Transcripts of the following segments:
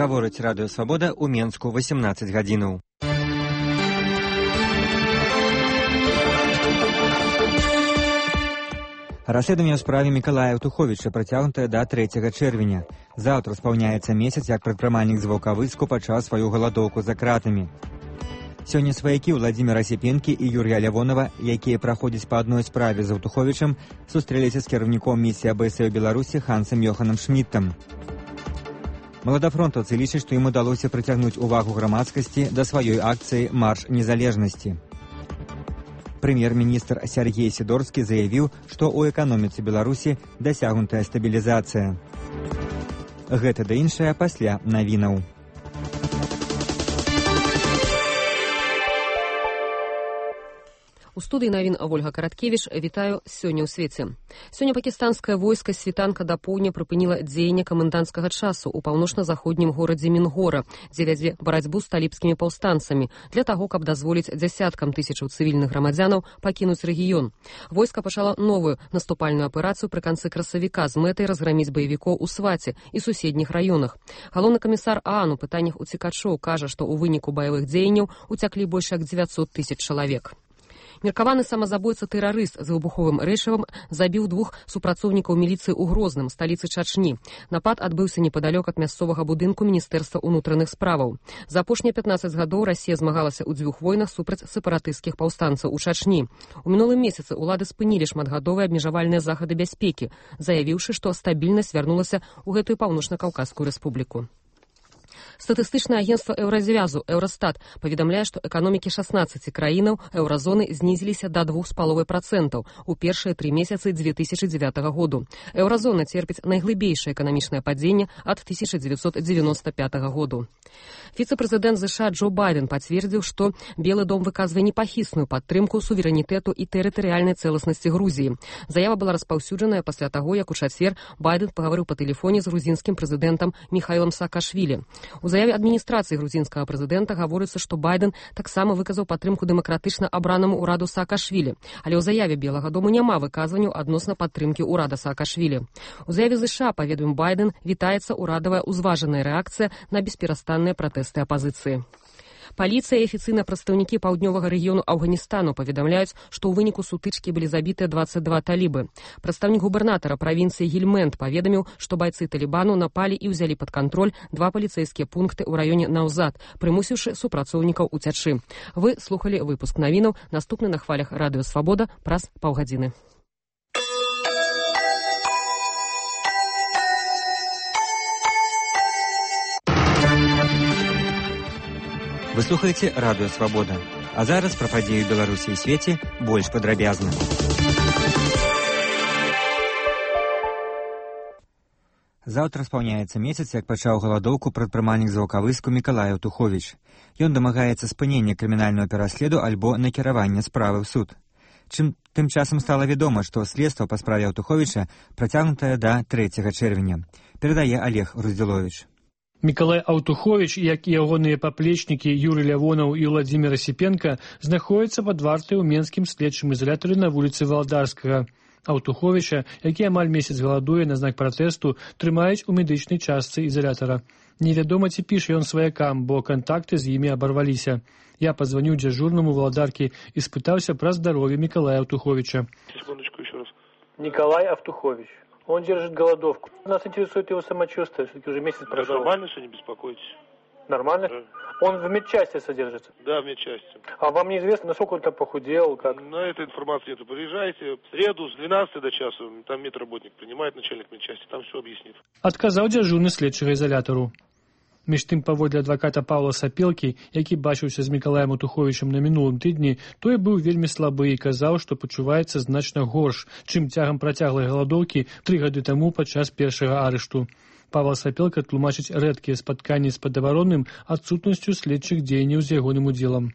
Гаворыць Радыё Свабода ў Менску 18 гадзінаў. Расследаванне ў справе Мікалая Аўтуховіча працягнутае да 3 чэрвеня. Заўтра спаўняецца месяц, як прадпрымальнік з Ваўкавыску пачаў сваю галадоўку за кратамі. Сёння сваякі Владзіміра Сіпенкі і Юрія Лявонова, якія праходзяць па адной справе з Аўтуховічам, сустрэліся з кіраўніком місіі АБС ў Беларусі Хансам Йоханам Шмідтам. Маладафронтаўцы лічаць, што ім удалося прыцягнуць увагу грамадскасці да сваёй акцыі «Марш незалежнасці». Прэм'ер-міністр Сяргей Сідорскі заявіў, што ў эканоміцы Беларусі дасягнутая стабілізацыя. Гэта да іншае пасля навінаў. У студыі навін Ольга Караткевіч. Вітаю сёння ў свеце. Сёння пакістанскае войска з світанка да поўдня прыпыніла дзеянне каменданцкага часу ў паўночна-заходнім горадзе Мінгора, дзе вядзе барацьбу з талібскімі паўстанцамі для таго, каб дазволіць дзясяткам тысячаў цывільных грамадзянаў пакінуць рэгіён. Войска пачала новую наступальную аперацыю пры канцы красавіка з мэтай разграміць баевікоў у Сваце і суседніх раёнах. Галоўны камісар ААН у пытаннях уцекачоў кажа, што ў выніку баявых дзеянняў уцяклі больш як 900 000 чалавек. Меркаваны самазабойца-тэрарыст з выбуховым рэчывам забіў 2 супрацоўнікаў міліцыі ў Грозным, сталіцы Чачні. Напад адбыўся непадалёк ад мясцовага будынку Міністэрства ўнутраных справаў. За апошнія 15 гадоў Расія змагалася ў 2 войнах супраць сепаратысцкіх паўстанцаў у Чачні. У мінулым месяцы ўлады спынілі шматгадовыя абмежавальныя захады бяспекі, заявіўшы, што стабільнасць вярнулася ў гэтую паўночна-каўказскую рэспубліку. Статыстычнае агенцтва Еўразвязу Еўрастат паведамляе, што эканомікі 16 краінаў еўразоны знізіліся да 2,5% у першыя 3 месяцы 2009 году. Еўразона церпіць найглыбейшае эканамічнае падзенне ад 1995 году. Віцэ-прэзідэнт США Джо Байден пацвердзіў, што Белы дом выказвае непахісную падтрымку суверэнітэту і тэрытарыяльнай цэласнасці Грузіі. Заява была распаўсюджаная пасля таго, як у чацвер Байден пагаварыў па тэлефоне з грузінскім прэзідэнтам Міхаілам Саакашвілі. У заяве адміністрацыі грузінскага прэзідэнта гаворыцца, што Байден таксама выказаў падтрымку дэмакратычна абранаму ўраду Саакашвілі, але ў заяве Белага дому няма выказванняў адносна падтрымкі ўрада Саакашвілі. У заяве США, паведаміў Байден, вітаецца ўрадавая ўзважаная рэакцыя на бесперастанныя пратэсты апазіцыі. Паліцыя і афіцыйныя прадстаўнікі паўднёвага рэгіёну Афганістану паведамляюць, што ў выніку сутычкі былі забітыя 22 талібы. Прадстаўнік губернатара правінцыі Гельмэнд паведаміў, што байцы талібану напалі і ўзялі пад кантроль 2 паліцэйскія пункты ў раёне Наўзад, прымусіўшы супрацоўнікаў уцячы. Вы слухалі выпуск навінаў, наступны на хвалях Радыё Свабода праз паўгадзіны. Вы слухаеце Радыё Свабода. А зараз пра падзеі Беларусі і свеце больш падрабязна. Заўтра спаўняецца месяц, як пачаў галадоўку прадпрымальнік з Ваўкавыску Мікалай Аўтуховіч. Ён дамагаецца спынення крымінальнага пераследу альбо накіравання справы ў суд. Тым часам стала вядома, што следства па справе Аўтуховіча працягнутае да 3 чэрвеня. Перадае Олег Руздзіловіч. Мікалай Аўтуховіч, як і ягоныя паплечнікі Юрый Лявонаў і Владзіміра Сіпенка, знаходзяцца пад вартай у менскім следчым ізалятары на вуліцы Валдарскага. Аўтуховіча, які амаль месяц галадуе на знак пратэсту, трымаюць у медычнай частцы ізалятара. Невядома, ці піша ён сваякам, бо кантакты з імі абарваліся. Я позвоню дзяжурнаму Валдаркі і спытаўся пра здароўе Мікалая Аўтуховіча. Секундочку, еще раз. Николай Аўтухович. Он держит голодовку. Нас интересует его самочувствие, все-таки уже месяц прошел. Нормально, что не беспокойтесь. Нормально? Да. Он в медчасти содержится? Да, в медчасти. А вам неизвестно, насколько он там похудел, как? На этой информации нет. Приезжайте в среду с 12 до часу, там медработник принимает, начальник медчасти, там все объяснит. Адказаў дзяжурны следчага ізалятару. Між тым, паводле адваката Паўла Сапелкі, які бачыўся з Мікалаем Аўтуховічам на мінулым тыдні, той быў вельмі слабы і казаў, што пачуваецца значна горш, чым цягам працяглай галадоўкі 3 гады таму падчас першага арышту. Павел Сапелка тлумачыць рэдкія спатканні з падабаронным адсутнасцю следчых дзеянняў з ягоным удзелам.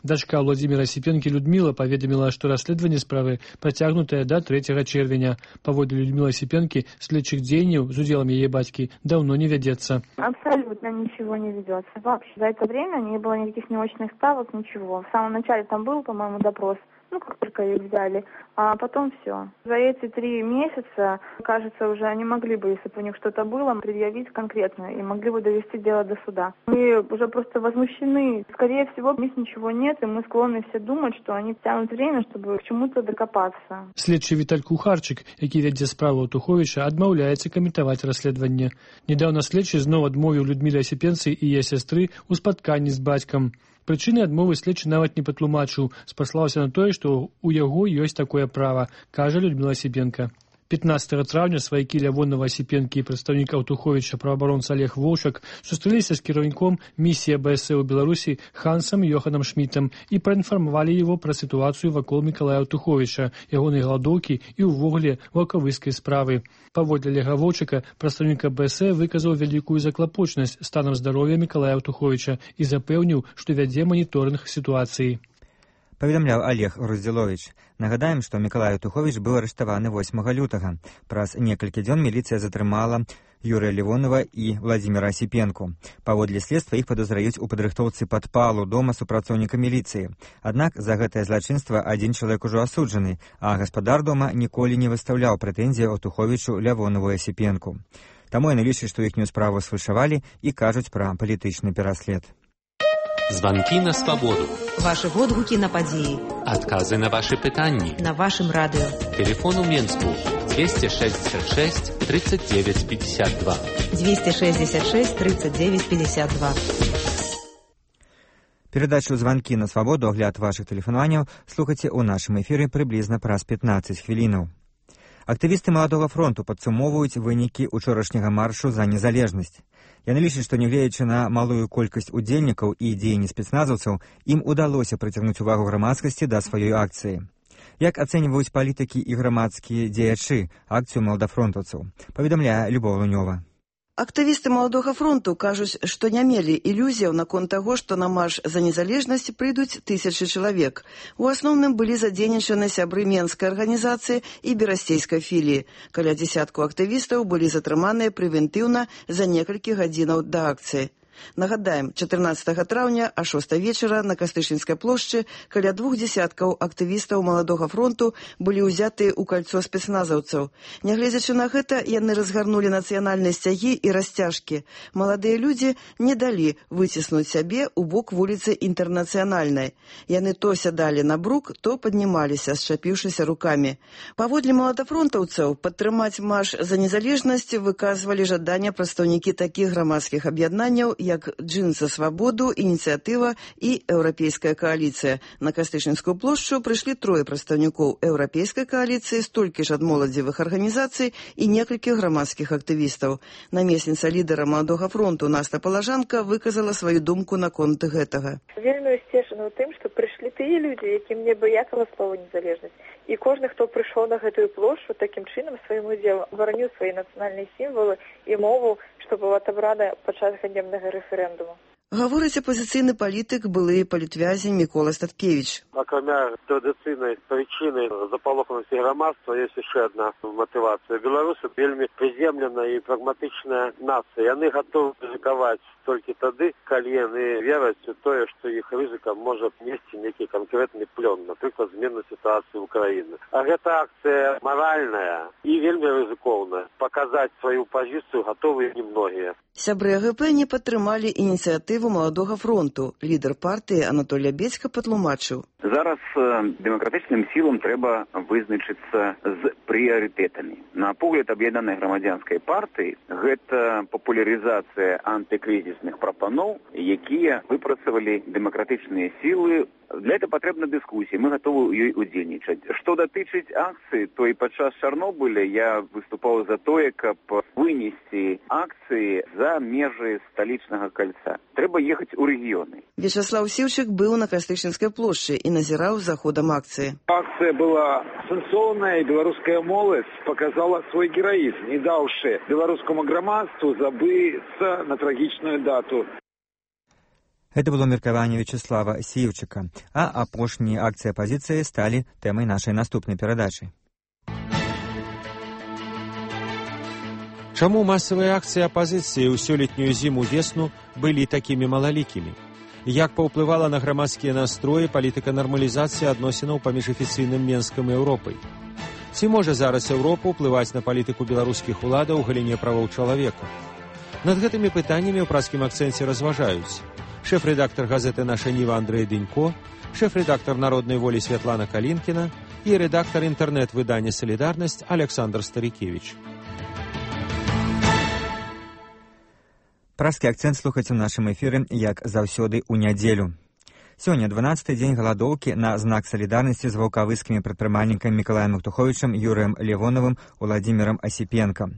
Дачка Владзіміра Сіпенкі Людміла паведаміла, што расследаванне справы працягнутае да 3 чэрвеня. Паводле Людмілы Сіпенкі, следчых дзеянняў з удзелам яе бацькі даўно не вядзецца. Абсолютно ничего не ведется. Вообще за это время не было никаких неочных ставок, ничего. В самом начале там был, по-моему, допрос. как только их взяли, а потом все. За эти 3 месяца, кажется, уже они могли бы, если бы у них что-то было, предъявить конкретно и могли бы довести дело до суда. Мы уже просто возмущены. Скорее всего, у них ничего нет, и мы склонны все думать, что они тянут время, чтобы к чему-то докопаться. Следчий Віталь Кухарчык, які вядзе справу Туховіча, адмаўляецца каментаваць расследаванне. Недаўна следчы зноў адмовіў Людміле Асіпенцы і яе сястры ў спатканні з бацькам. Прычыны адмовы следчы нават не патлумачыў, спаслаўся на тое, што ў яго ёсць такое права, кажа Людмила Асіпенка. 15 траўня сваякі Лявонова, Асіпенкі і прадстаўнік Аўтуховіча праваабаронца Олег Воўчак сустрэліся з кіраўніком місіі АБС у Беларусі Хансам Йоханам Шмітам і праінфармавалі яго пра сітуацыю вакол Мікалая Аўтуховіча, ягонай галадоўкі і ўвогуле ваўкавыскай справы. Паводле Олега Воўчака, прадстаўнік АБС выказаў вялікую заклапочанасць станам здароўя Мікалая Аўтуховіча і запэўніў, што вядзе маніторынг сітуацыі. Паведамляў Олег Руздзіловіч. Нагадаем, што Мікалай Аўтуховіч быў арыштаваны 8 лютага. Праз некалькі дзён міліцыя затрымала Юрыя Левонова і Владзіміра Асіпенку. Паводле следства іх падазраюць у падрыхтоўцы падпалу дома супрацоўніка міліцыі. Аднак за гэтае злачынства адзін чалавек ужо асуджаны, а гаспадар дома ніколі не выстаўляў прэтэнзіі Аўтуховічу, Лявонову і Асіпенку. Таму яны лічаць, што іхнюю справу сфальшавалі і кажуць пра палітычны пераслед. Звонки на свободу. Ваши водгуки на події. Отказы на ваши питання. На вашем радио. Телефон у Минску 266 39 52. 266 39 52. Перадачу «Звонки на свободу», огляд ваших тэлефанаванняў слухайце ў нашым эфіры прыблізна праз 15 хвілінаў. Актывісты Маладога фронту падсумоўваюць вынікі учорашняга маршу за незалежнасць. Яны лічаць, што нягледзячы на малую колькасць удзельнікаў і дзеянні спецназаўцаў, ім удалося прыцягнуць увагу грамадскасці да сваёй акцыі. Як ацэньваюць палітыкі і грамадскія дзеячы акцыю маладафронтаўцаў, паведамляе Любоў Лунёва. Актывісты Маладога фронту кажуць, што не мелі ілюзіяў наконт таго, што на марш за незалежнасць прыйдуць 1000 чалавек. У асноўным былі задзейнічаны сябры Менскай арганізацыі і берасцейскай філіі. Каля дзесятку актывістаў былі затрыманыя прэвентыўна за некалькі гадзінаў да акцыі. Нагадаем, 14 траўня а 6 вечара на Кастышынскай плошчы каля 2 десяткаў актывістаў Маладога фронту былі ўзяты ў кальцо спецназаўцаў. Нягледзячы на гэта, яны разгарнулі нацыянальныя сцягі і расцяжкі. Маладыя людзі не далі выціснуць сябе ў бок вуліцы Інтэрнацыянальнай. Яны то сядалі на брук, то паднімаліся, счапіўшыся рукамі. Паводле маладафронтаўцаў, падтрымаць марш за незалежнасць выказвалі жаданне прадстаўнікі такіх грамадскіх аб'яднанняў, як «Джин за свободу», «Ініцыятыва» і «Еўрапейская коаліцыя». На Кастышынскую плошчу прыйшлі 3 прадстаўнікоў Еўрапейскай коаліцыі, столькі ж ад моладзевых арганізацый і некалькі грамадскіх актывістаў. Намесніца лідара Маладога фронту Наста Палажанка выказала сваю думку наконт гэтага. Вельмі ўсцешана ў тым, што прыйшлі тыя людзі, якім не баякала слова незалежнасць. І кожны, хто прыйшоў на гэтую плошчу, такім чынам сваім удзелам вараніў свае нацыянальныя сімвалы і мову, што была адабрана падчас ганебнага рэферэндуму. Гаворыць апозіцыйны палітык, былы палітвязень Мікола Статкевіч. Акрамя традыцыйнай прычыны запалоханасці грамадства, ёсць яшчэ адна матывацыя. Беларусы вельмі прыземленая і прагматычная нацыя. Яны гатовы рызыкаваць толькі тады, калі яны вераць у тое, што іх рызыка можа несці нейкі канкрэтны плён, напрыклад, змену сітуацыі ўкраіны. А гэта акцыя маральная і вельмі рызыкоўная. Паказаць сваю пазіцыю гатовыя немногія. Сябры АГП не падтрымалі ініцыятыву Маладога фронту. Лідар партыі Анатолій Бецька патлумачыў. Зараз дэмакратычным сілам трэба вызначыцца з прыярытэтамі. На погляд аб'яднанай грамадзянскай партыі гэта папулярызацыя антыкрызісных прапаноў, якія выпрацавалі дэмакратычныя сілы. Для этого патрэбна дыскусія, мы гатовы ў ёй удзельнічаць. Што датычыць акцыі, то і падчас Чарнобыля я выступаў за тое, каб вынесці акцыі за межы сталічнага кальца. Трэба ехаць у рэгіёны. Вячаслаў Сіўчык быў на Кастышынскай плошчы і назіраў за ходам акцыі. Акцыя была сэнсоўная, і беларуская моладзь показала свой гераізм, не даўшы беларускаму грамадству забыцца на трагічную дату. Это было меркаванне Вячаслава Сіўчыка, а апошнія акцыі апазіцыі сталі тэмай нашай наступнай перадачы. Чаму масавыя акцыі апазіцыі ў сёлетнюю зіму-весну былі такімі малалікімі? Як паўплывала на грамадскія настроі палітыка нармалізацыі адносінаў паміж афіцыйным Менскам і Еўропай? Ці можа зараз Еўропа ўплываць на палітыку беларускіх уладаў у галіне правоў чалавека? Над гэтымі пытаннямі ў празкім акцэнце разважаюць шэф-рэдактар газеты «Наша Ніва» Андрэй Дынько, шэф-рэдактар «Народнай волі» Святлана Калінкіна і рэдактар інтэрнэт-выдання «Салідарнасць» Александр Старікевіч. Празкі акцэнт слухаць у нашым эфіры, як заўсёды, у нядзелю. Сёння 12-й дзень галадоўкі на знак салідарнасці з ваўкавыскімі прадпрымальнікамі Мікалаем Аўтуховічам, Юрыем Левоновым, Уладзімірам Асіпенка.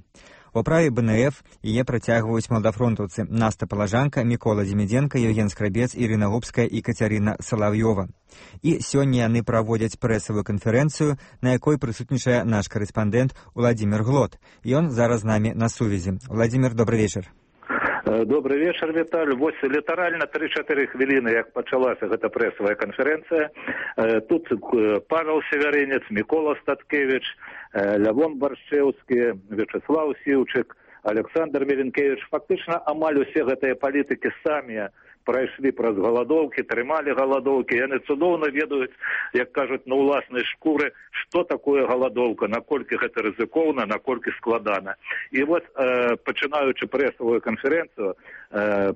У праве БНФ яе працягваюць маладафронтаўцы Наста Палажанка, Мікола Дзімідзенка, Евген Скрабец, Ірына Губская і Кацярына Салаўёва. І сёння яны праводзяць прэсавую канферэнцыю, на якой прысутнічае наш карэспандэнт Уладзімір Глот. Ён зараз з намі на сувязі. Уладзімір, добрый вечар. Добрый вечер, Віталь. Вось літаральна 3-4 хвіліны, як пачалася гэта прэсавая канферэнцыя. Тут Павел Севярынец, Мікола Статкевіч, Лявон Баршчэўскі, Вячеслав Сіўчык, Александр Меленкевич. Фактычна амаль усе гэтыя палітыкі самі прайшлі праз галадоўкі, трымалі галадоўкі. Яны цудоўна ведаюць, як кажуць, на ўласнай шкуры, што такое галадоўка, наколькі гэта рызыкоўна, наколькі складана. І вось, пачынаючы прэсавую канферэнцыю,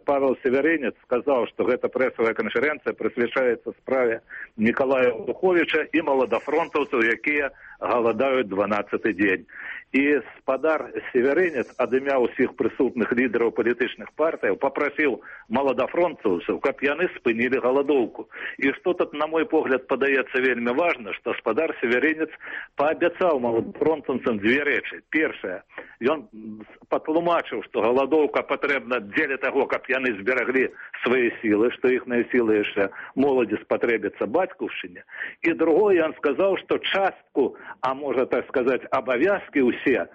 Павел Севярынец сказаў, што гэта прэсавая канферэнцыя прысвячаецца справе Мікалая Аўтуховіча і маладафронтаўцаў, якія галадаюць 12-й дзень. І спадар Севярынец ад імя ўсіх прысутных лідараў палітычных партыяў папрасіў маладафронтаўцаў, каб яны спынілі галадоўку. І што тут, на мой погляд, падаецца вельмі важна, што спадар Севярынец паабяцаў маладафронтаўцам дзве рэчы. Першае, ён патлумачыў, што галадоўка патрэбна дзеля таго, каб яны збераглі свае сілы, што іхныя сілы яшчэ моладзі спатрэбяцца бацькаўшчыне. І другое, ён сказаў, што частку, а можа так сказаць, абавязкі ўсе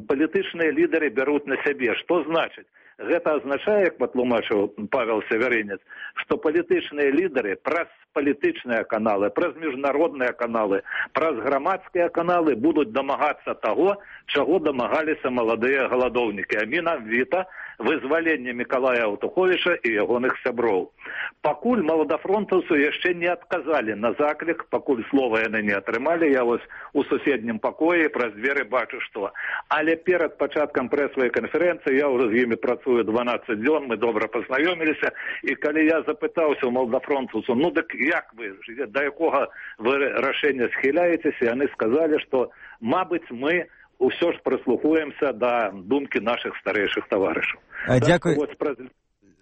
палітычныя лідары бяруць на сябе. Што значыць? Гэта азначае, як патлумачыў Павел Севярынец, што палітычныя лідары праз палітычныя каналы, праз міжнародныя каналы, праз грамадскія каналы будуць дамагацца таго, чаго дамагаліся маладыя галадоўнікі, а менавіта вызвалення Мікалая Аўтуховіча і ягоных сяброў. Пакуль маладафронтаўцы яшчэ не адказалі на заклік, пакуль слова яны не атрымалі, я вось у суседнім пакоі праз дзверы бачу што. Але перад пачаткам прэсавай канферэнцыі, я ўжо з імі працую 12 дзён, мы добра пазнаёміліся, і калі я запытаўся ў маладафронтаўцаў, ну дык як вы, да якога вы рашэння схіляецеся, яны сказалі, што, мабыць, мы ўсё ж прыслухаемся да думкі нашых старэйшых таварышаў. Дзякуй.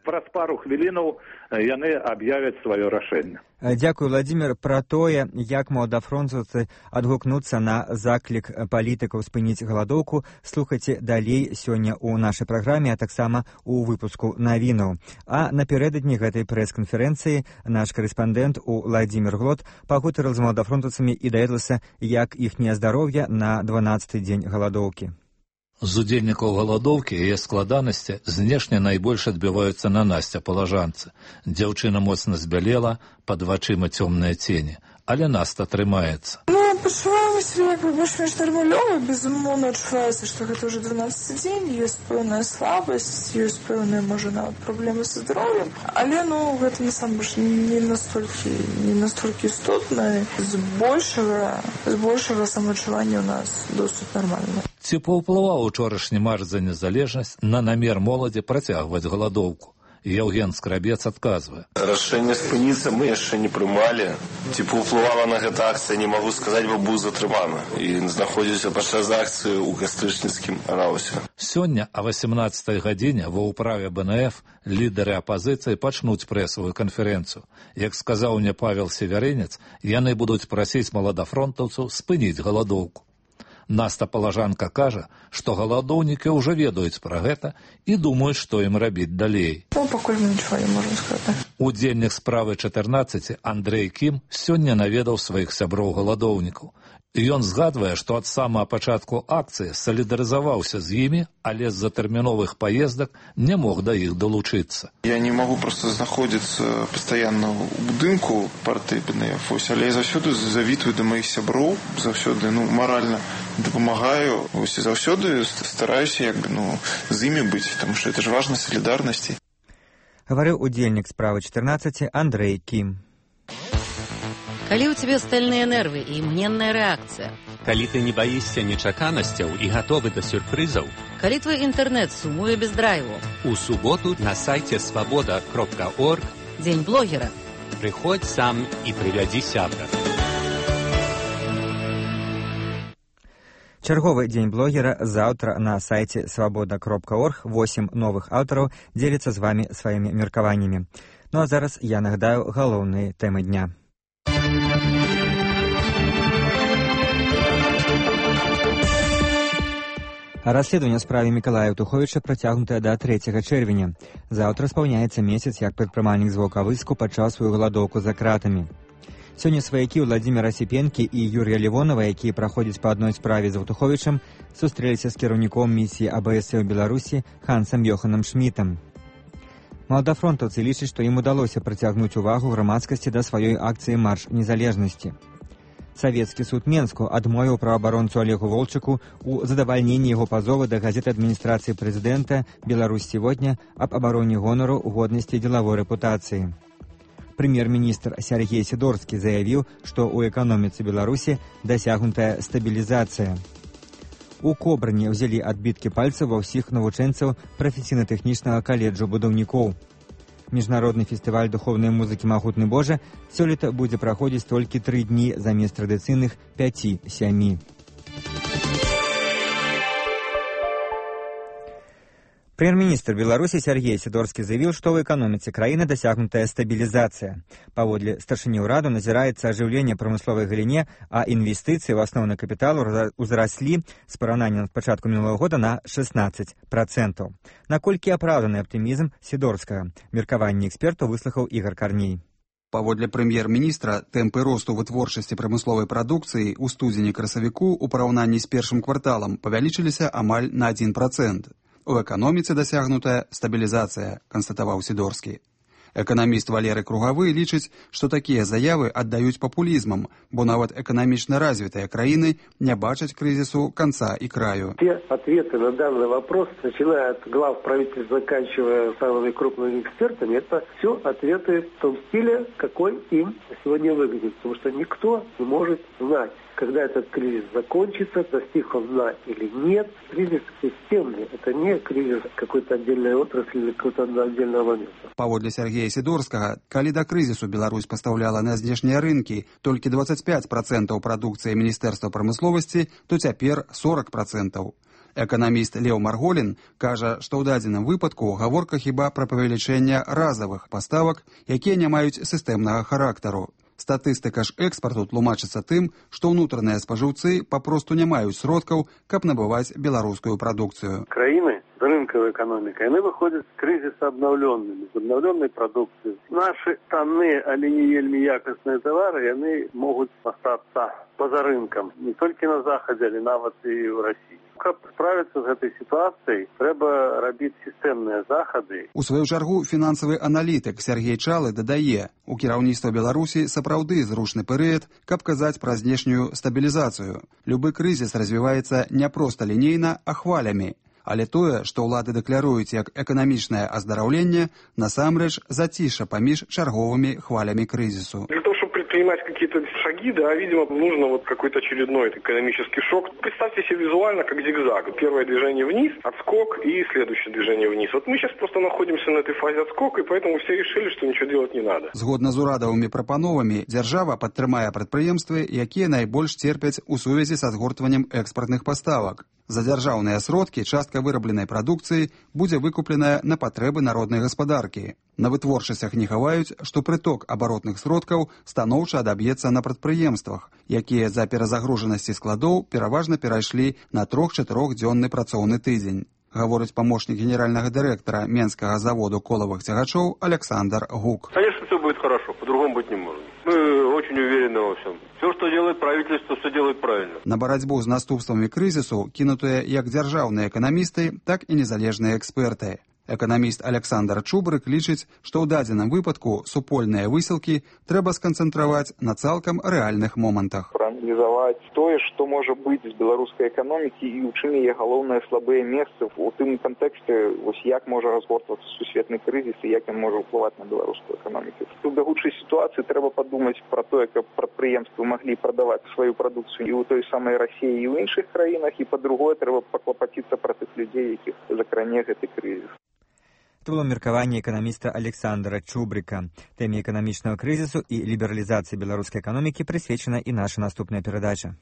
Праз пару хвілінаў яны аб'явяць сваё рашэнне. Дзякуй, Владзімір. Пра тое, як маладафронтаўцы адгукнуцца на заклік палітыкаў спыніць галадоўку, слухайце далей сёння ў нашай праграме, а таксама ў выпуску навінаў. А напярэдадні гэтай прэс-канферэнцыі наш карэспандэнт Уладзімір Глот пагутарыў з маладафронтаўцамі і даведаўся, як іхняе здароўе на 12-й дзень галадоўкі. З удзельнікаў галадоўкі і яе складанасці знешне найбольш адбіваюцца на Насце Палажанцы. Дзяўчына моцна збялела, пад вачыма цёмныя цені, але Наста трымаецца. Я пачуваю себя як бы больш-менш нармалёва, безумоўна адчуваецца, што гэта ўжо 12-й дзень, ёсць пэўная слабасць, ёсць пэўныя, можа, нават праблемы са здароўем, але, гэта насамрэч не настолькі істотна, з большага самаадчування ў нас досыць нармальна. Ці паўплываў учорашні марш за незалежнасць на намер моладзі працягваць галадоўку? Евген Скрабец адказвае. Рашэнне спыніцца мы яшчэ не прымалі. Ці паўплывала на гэта акцыя, не магу сказаць, бо быў затрыманы. І знаходзіўся падчас акцыі ў кастрычніцкім раусе. Сёння о 18-й гадзіне ва ўправе БНФ лідары апазіцыі пачнуць прэсавую канферэнцыю. Як сказаў мне Павел Севярынец, яны будуць прасіць маладафронтаўцаў спыніць галадоўку. Наста Палажанка кажа, што галадоўнікі ўжо ведаюць пра гэта і думаюць, што ім рабіць далей. Пакуль нічого не можна сказаць. Удзельнік справы 14 Андрэй Кім сёння наведаў сваіх сяброў галадоўнікаў. Ён згадвае, што ад самага пачатку акцыі салідарызаваўся з імі, але з-за тэрміновых паездак не мог да іх далучыцца. Я не магу проста знаходзіцца пастаянна ў будынку партыі БНФ, але я заўсёды завітваю да маіх сяброў, заўсёды маральна дапамагаю, і заўсёды стараюся з імі быць, таму што гэта ж важна, салідарнасці. Говорил удельник справа 14 Андрей Ким. Калі ў цябе стальныя нервы і імгненная рэакцыя. Калі ты не баішся нечаканасцяў і гатовы да сюрпрызаў. Калі твой інтэрнэт сумуе без драйву. У суботу на сайце свабода.орг Дзень блогера. Прыходзь сам і прывядзі сябра. Чарговы дзень блогера заўтра на сайце свабода.орг. 8 новых аўтараў дзеляцца з вамі сваімі меркаваннямі. Ну а зараз я нагадаю галоўныя тэмы дня. Расследаванне справе Мікалая Еўтуховіча працягнутае да 3 чэрвеня. Заўтра спаўняецца месяц, як прадпрымальнік з Ваўкавыску пачаў сваю галадоўку за кратамі. Сёння сваякі Владзіміра Сіпенкі і Юрія Лівонова, якія праходзяць па адной справе з Еўтуховічам, сустрэліся з кіраўніком місіі АБС ў Беларусі Хансам Йоханам Шмітам. Маладафронтаўцы лічаць, што ім удалося прыцягнуць увагу грамадскасці да сваёй акцыі «Марш незалежнасці». Савецкі суд Менску адмовіў праваабаронцу Олегу Волчыку у задавальненні яго пазову да газеты адміністрацыі прэзідэнта «Беларусь сегодня» аб абароне гонару, годнасці і дзелавой рэпутацыі. Прэм'ер-міністр Сергей Сідорскі заявіў, што ў эканоміцы Беларусі дасягнутая стабілізацыя. У Кобрыне ўзялі адбіткі пальцаў ва ўсіх навучэнцаў прафесійна-тэхнічнага каледжу будаўнікоў. Міжнародны фестываль духоўнай музыкі «Магутны Божа» сёлета будзе праходзіць толькі 3 дні замест традыцыйных 5-7. Прэм'ер-міністр Беларусі Сергей Сідорскі заявіў, што ў эканоміцы краіны дасягнутая стабілізацыя. Паводле старшыні ўраду назіраецца ажыўленне прамысловай галіне, а інвестыцыі ў асноўны капітал узраслі з параўнання з пачатку мінулага года на 16%. Наколькі апраўданы аптымізм Сідорскага? Меркаванне экспертаў выслухаў Ігар Карней. Паводле прэм'ер-міністра, тэмпы росту вытворчасці прамысловай прадукцыі ў студзені-красавіку ў параўнанні з першым кварталам павялічыліся амаль на 1%. У эканоміцы дасягнутая стабілізацыя, канстатаваў Сідорскі. Эканаміст Валерый Кругавы лічыць, што такія заявы аддаюць папулізмам, бо нават эканамічна развітыя краіны не бачаць крызісу конца и краю. Все ответы на данный вопрос, начиная от глав правительства, заканчивая самыми крупными экспертами, это все ответы в том стиле, какой им сегодня выглядит. Потому что никто не может знать, когда этот кризис закончится, достиг он дна или нет. Кризис системный, это не кризис какой-то отдельной отрасли или какого-то отдельного момента. Паводле Сергея Сідорскага, калі да крызісу Беларусь пастаўляла на знешнія рынкі толькі 25% прадукцыі Міністэрства прамысловасці, то цяпер 40%. Эканаміст Леў Марголін кажа, што ў дадзеным выпадку гаворка хіба пра павелічэнне разавых паставак, якія не маюць сістэмнага характару. Статыстыка ж экспарту тлумачыцца тым, што ўнутраныя спажыўцы папросту не маюць сродкаў, каб набываць беларускую прадукцыю. Краіны з рынкавай эканомікай, яны выходзяць з крызіса абнаўлёнымі, з абнаўлёнай прадукцыяй. Нашы танныя, але не вельмі якасныя тавары, яны могуць астацца па-за рынкам, не толькі на захадзе, але нават і ў Расіі. Каб справіцца з гэтай сітуацыяй, трэба рабіць сістэмныя захады. У сваю чаргу фінансавы аналітык Сергей Чалы дадае, у кіраўніцтва Беларусі сапраўды зручны перыяд, каб казаць пра знешнюю стабілізацыю. Любы крызіс развіваецца не проста лінейна, а хвалямі. Але тое, што ўлады дэкляруюць як эканамічнае аздараўленне, насамрэч зацішша паміж чарговымі хвалямі крызісу. Для того, чтобы предпринимать какие-то шаги, да, видимо, нужно вот какой-то очередной экономический шок. Представьте себе визуально как зигзаг. Первое движение вниз, отскок и следующее движение вниз. Вот мы сейчас просто находимся на этой фазе отскока, и поэтому все решили, что ничего делать не надо. Згодна з урадавымі прапановамі, дзяржава падтрымае прадпрыемствы, якія найбольш церпяць у сувязі са згортваннем экспартных паставак. За дзяржаўныя сродкі частка вырабленай прадукцыі будзе выкупленая на патрэбы народнай гаспадаркі. На вытворчасцях не хаваюць, што прыток абаротных сродкаў станоўча адаб'ецца на прадпрыемствах, якія з-за перазагружанасці складоў пераважна перайшлі на 3-4-дзённы працоўны тыдзень. Гаворыць памочнік генеральнага дырэктара Менскага заводу колавых цягачоў Александр Гук. Конечно, все будет хорошо, по-другому быть не может. Мы очень уверены во всем. Все, что делает правительство, все делает правильно. На барацьбу з наступствамі крызісу кінутыя як дзяржаўныя эканамісты, так і незалежныя эксперты. Эканаміст Александр Чубрык лічыць, што ў дадзеным выпадку супольныя высілкі трэба сканцэнтраваць на цалкам рэальных момантах. Проаналізаваць тое, што можа быць з беларускай эканомікі і ў чым яе галоўныя слабыя месцы у тым кантэксце, як можа разгортвацца сусветны крызіс і як ён можа ўплываць на беларускую эканоміку. У бягучай сітуацыі трэба падумаць пра тое, каб прадпрыемствы маглі прадаваць сваю прадукцыю і ў той самай Расіі, і ў іншых краінах, і па-другое, трэба паклапаціцца пра тых людзей, якіх закране гэты крызіс. Это было меркаванне эканаміста Александра Чубрыка. Тэме эканамічнага крызісу і лібералізацыі беларускай эканомікі прысвечана і наша наступная перадача.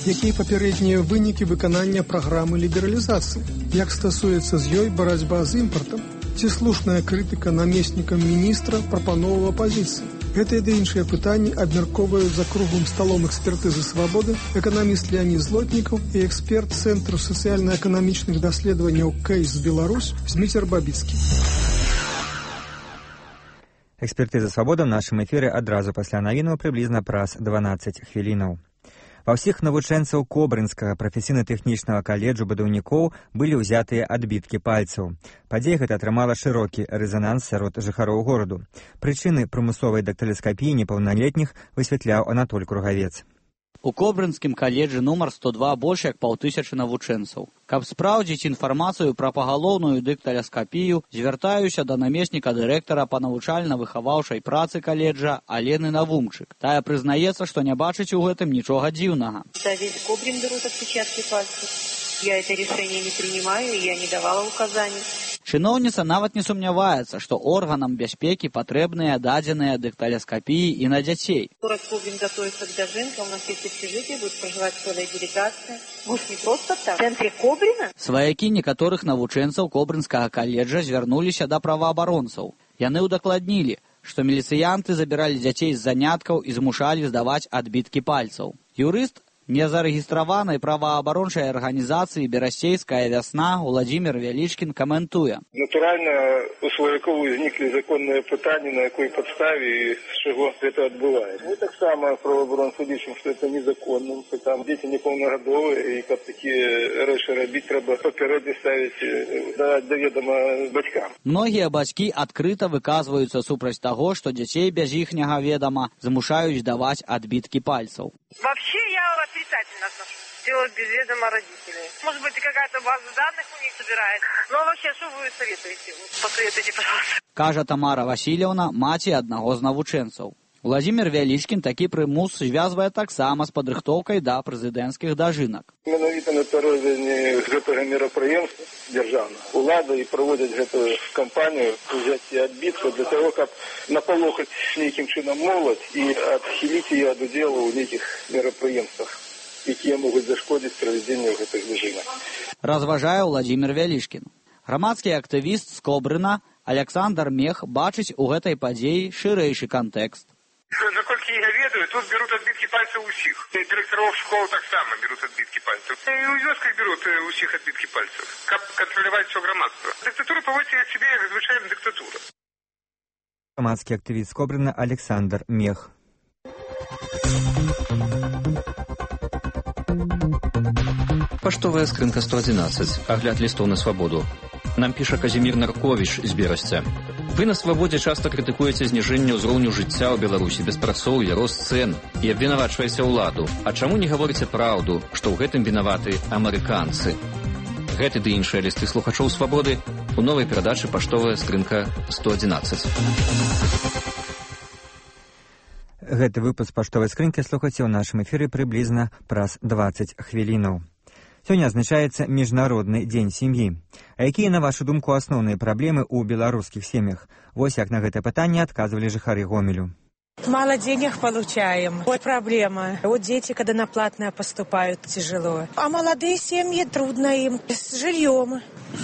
Якія папярэднія вынікі выканання праграмы лібералізацыі? Як стасуецца з ёй барацьба з імпартам? Ці слушная крытыка намеснікам міністра прапановаў апазіцыі? Гэтыя ды іншыя пытанні абмяркоўваюць за круглым сталом экспертызы «Свабоды» эканаміст Леонід Злотнікаў і эксперт Цэнтру сацыяльна-эканамічных даследаванняў «Кейс Беларусь» Зміцер Бабіцкі. Экспертыза «Свабода» ў нашым эфіры адразу пасля навінаў прыблізна праз 12 хвілінаў. Ва ўсіх навучэнцаў Кобрынскага прафесійна-тэхнічнага каледжу будаўнікоў былі ўзятыя адбіткі пальцаў. Падзея гэта атрымала шырокі рэзананс сярод жыхароў гораду. Прычыны прымусовай дактыласкапіі непаўналетніх высвятляў Анатоль Кругавец. У Кобрынскім каледжы нумар 102 больш як 500 навучэнцаў. Каб спраўдзіць інфармацыю пра пагалоўную дыкталаскапію, звяртаюся да намесніка дырэктара па навучальна-выхаваўчай працы каледжа Алены Навумчык. Тая прызнаецца, што не бачыць у гэтым нічога дзіўнага. Да, весь Кобрин берут отпечатки пальцев. Я это решение не принимаю, и я не давала указаний. Чыноўніца нават не сумняваецца, што органам бяспекі патрэбныя дадзеныя дыкталаскапіі і на дзяцей. Город Кобрин готовится к дожинке, у нас есть общежитие, будет проживать целая делегация. Будет не просто так. В центре Кобрина? Сваякі некаторых навучэнцаў Кобрынскага каледжа звярнуліся да праваабаронцаў. Яны ўдакладнілі, што міліцыянты забіралі дзяцей з заняткаў і змушалі здаваць адбіткі пальцаў. Юрыст незарэгістраванай праваабарончай арганізацыі «Берасцейская вясна» Уладзімір Вялічкін каментуе. Натуральна, у сваякоў узніклі законныя пытанні, на якой падставе і з чаго гэта адбываецца. Мы таксама праваабаронцы лічым, што гэта незаконным, што там дзеці непаўнагадовыя, і каб такія рэчы рабіць, трэба папярэдне ставіць да ведама бацькам. Многія бацькі адкрыта выказваюцца супраць таго, што дзяцей без іхняга ведама змушаюць даваць адбіткі пальцаў. Вообще я отрицательно отношусь. Делать без ведома родителей. Может быть, какая-то база данных у них собирается. Но вообще, что вы советуете? Посоветуйте, пожалуйста. Кажа Тамара Васильевна, маці аднаго з навучэнцаў. Уладзімір Вялічкін такі прымус звязвае таксама з падрыхтоўкай да прэзідэнцкіх дажынак. Менавіта напярэдадні гэтага мерапрыемства дзяржаўнага улада і праводзяць гэтую кампанію ўзяцця адбіткаў для таго, каб напалохаць нейкім чынам моладзь і адхіліць яе ад удзелу ў нейкіх мерапрыемствах, якія могуць зашкодзіць правядзенню гэтых дажынак. Разважае Уладзімір Вялічкін. Грамадскі актывіст з Кобрына Александр Мех бачыць у гэтай падзеі шырэйшы кантэкст. Наколькі я ведаю, тут берут адбіткі пальцаў усіх. Дырэктараў школ таксама берут адбіткі пальцаў. І ў вёсках берут усіх адбіткі пальцаў, каб кантраляваць усё грамадства. Дыктатура паводзіць сябе як звычайная дыктатура. Грамадскі актывіст Кобрына Александр Мех. Паштовая скрынка 111. Агляд лістоў на свабоду. Нам піша Казімір Нарковіч з Берасця. Вы на свабодзе часта крытыкуеце зніжэнне ўзроўню жыцця ў Беларусі, беспрацоўе, рост цэн і абвінавачваеце ўладу. А чаму не гаворыце праўду, што ў гэтым вінаваты амерыканцы? Гэты ды іншыя лісты слухачоў свабоды у новай перадачы «Паштовая скрынка 111». Гэты выпуск «Паштовай скрынкі» слухайце ў нашым эфіры прыблізна праз 20 хвілінаў. Сёння адзначаецца Міжнародны дзень сям'і. А якія, на вашу думку, асноўныя праблемы ў беларускіх сем'ях? Вось як на гэтае пытанне адказвалі жыхары Гомелю. Мало денег получаем. Вот проблема. Вот дети, когда на платное поступают, тяжело. А молодые семьи, трудно им. С жильем.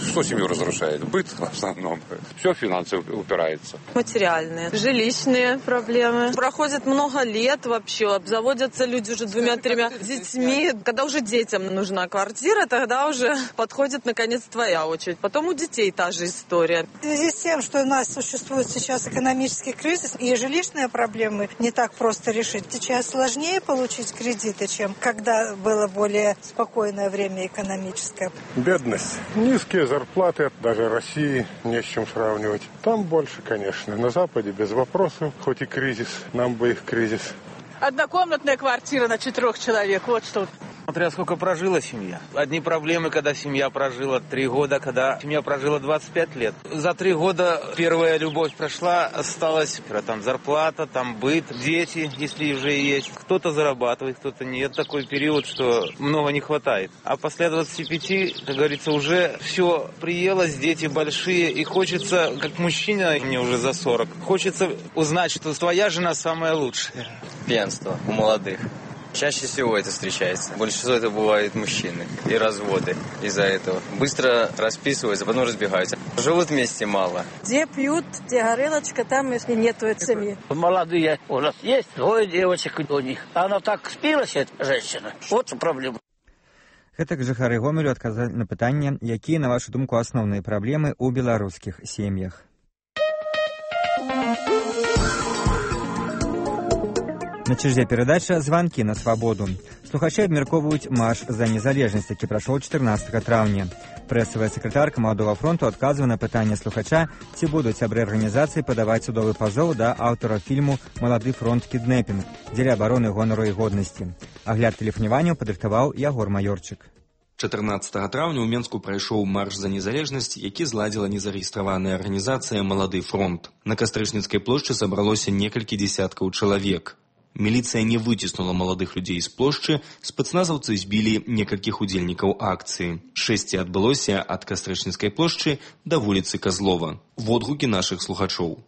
Что семью разрушает? Быт в основном. Все в финансы упирается. Материальные, жилищные проблемы. Проходит много лет вообще. Обзаводятся люди уже 2-3 детьми. Когда уже детям нужна квартира, тогда уже подходит наконец твоя очередь. Потом у детей та же история. В связи с тем, что у нас существует сейчас экономический кризис и жилищные проблемы не так просто решить. Сейчас сложнее получить кредиты, чем когда было более спокойное время экономическое. Бедность. Низкие зарплаты, даже России не с чем сравнивать. Там больше, конечно. На Западе без вопросов, хоть и кризис, нам бы их кризис. Однокомнатная квартира на 4 человек, вот что. Смотря сколько прожила семья. Одни проблемы, когда семья прожила 3 года, когда семья прожила 25 лет. За 3 года первая любовь прошла, осталась там зарплата, там быт, дети, если уже есть. Кто-то зарабатывает, кто-то нет. Такой период, что много не хватает. А после 25, как говорится, уже все приелось, дети большие. И хочется, как мужчина, мне уже за 40, хочется узнать, что твоя жена самая лучшая. Пьянство у молодых. Чаще всего это встречается. Больше всего это бывают мужчины. И разводы из-за этого. Быстро расписываются, потом разбегаются. Живут вместе мало. Где пьют, где горелочка, там если нету семьи. Молодые у нас есть, 2 девочек у них. Она так спилась, эта женщина. Вот проблема. Гэтак жыхары Гомелю адказалі на пытанне, якія, на вашу думку, асноўныя праблемы ў беларускіх сем'ях. На чарзе перадача «Званкі на свабоду». Слухачы абмяркоўваюць марш за незалежнасць, які прайшоў 14 траўня. Прэсавая сакратарка Маладога фронту адказвае на пытанне слухача, ці будуць сябры арганізацыі падаваць судовы пазоў да аўтара фільму «Малады фронт кіднэпінг» дзеля абароны гонару і годнасці. Агляд тэлефанаванняў падрыхтаваў Ягор Маёрчык. 14 траўня ў Менску прайшоў марш за незалежнасць, які зладзіла незарэгістраваная арганізацыя «Малады фронт». На Кастрычніцкай плошчы сабралося некалькі дзесяткаў чалавек. Міліцыя не выціснула маладых людзей з плошчы, спецназаўцы збілі некалькіх удзельнікаў акцыі. Шэсце адбылося ад Кастрычніцкай плошчы да вуліцы Казлова. Водгукі нашых слухачоў.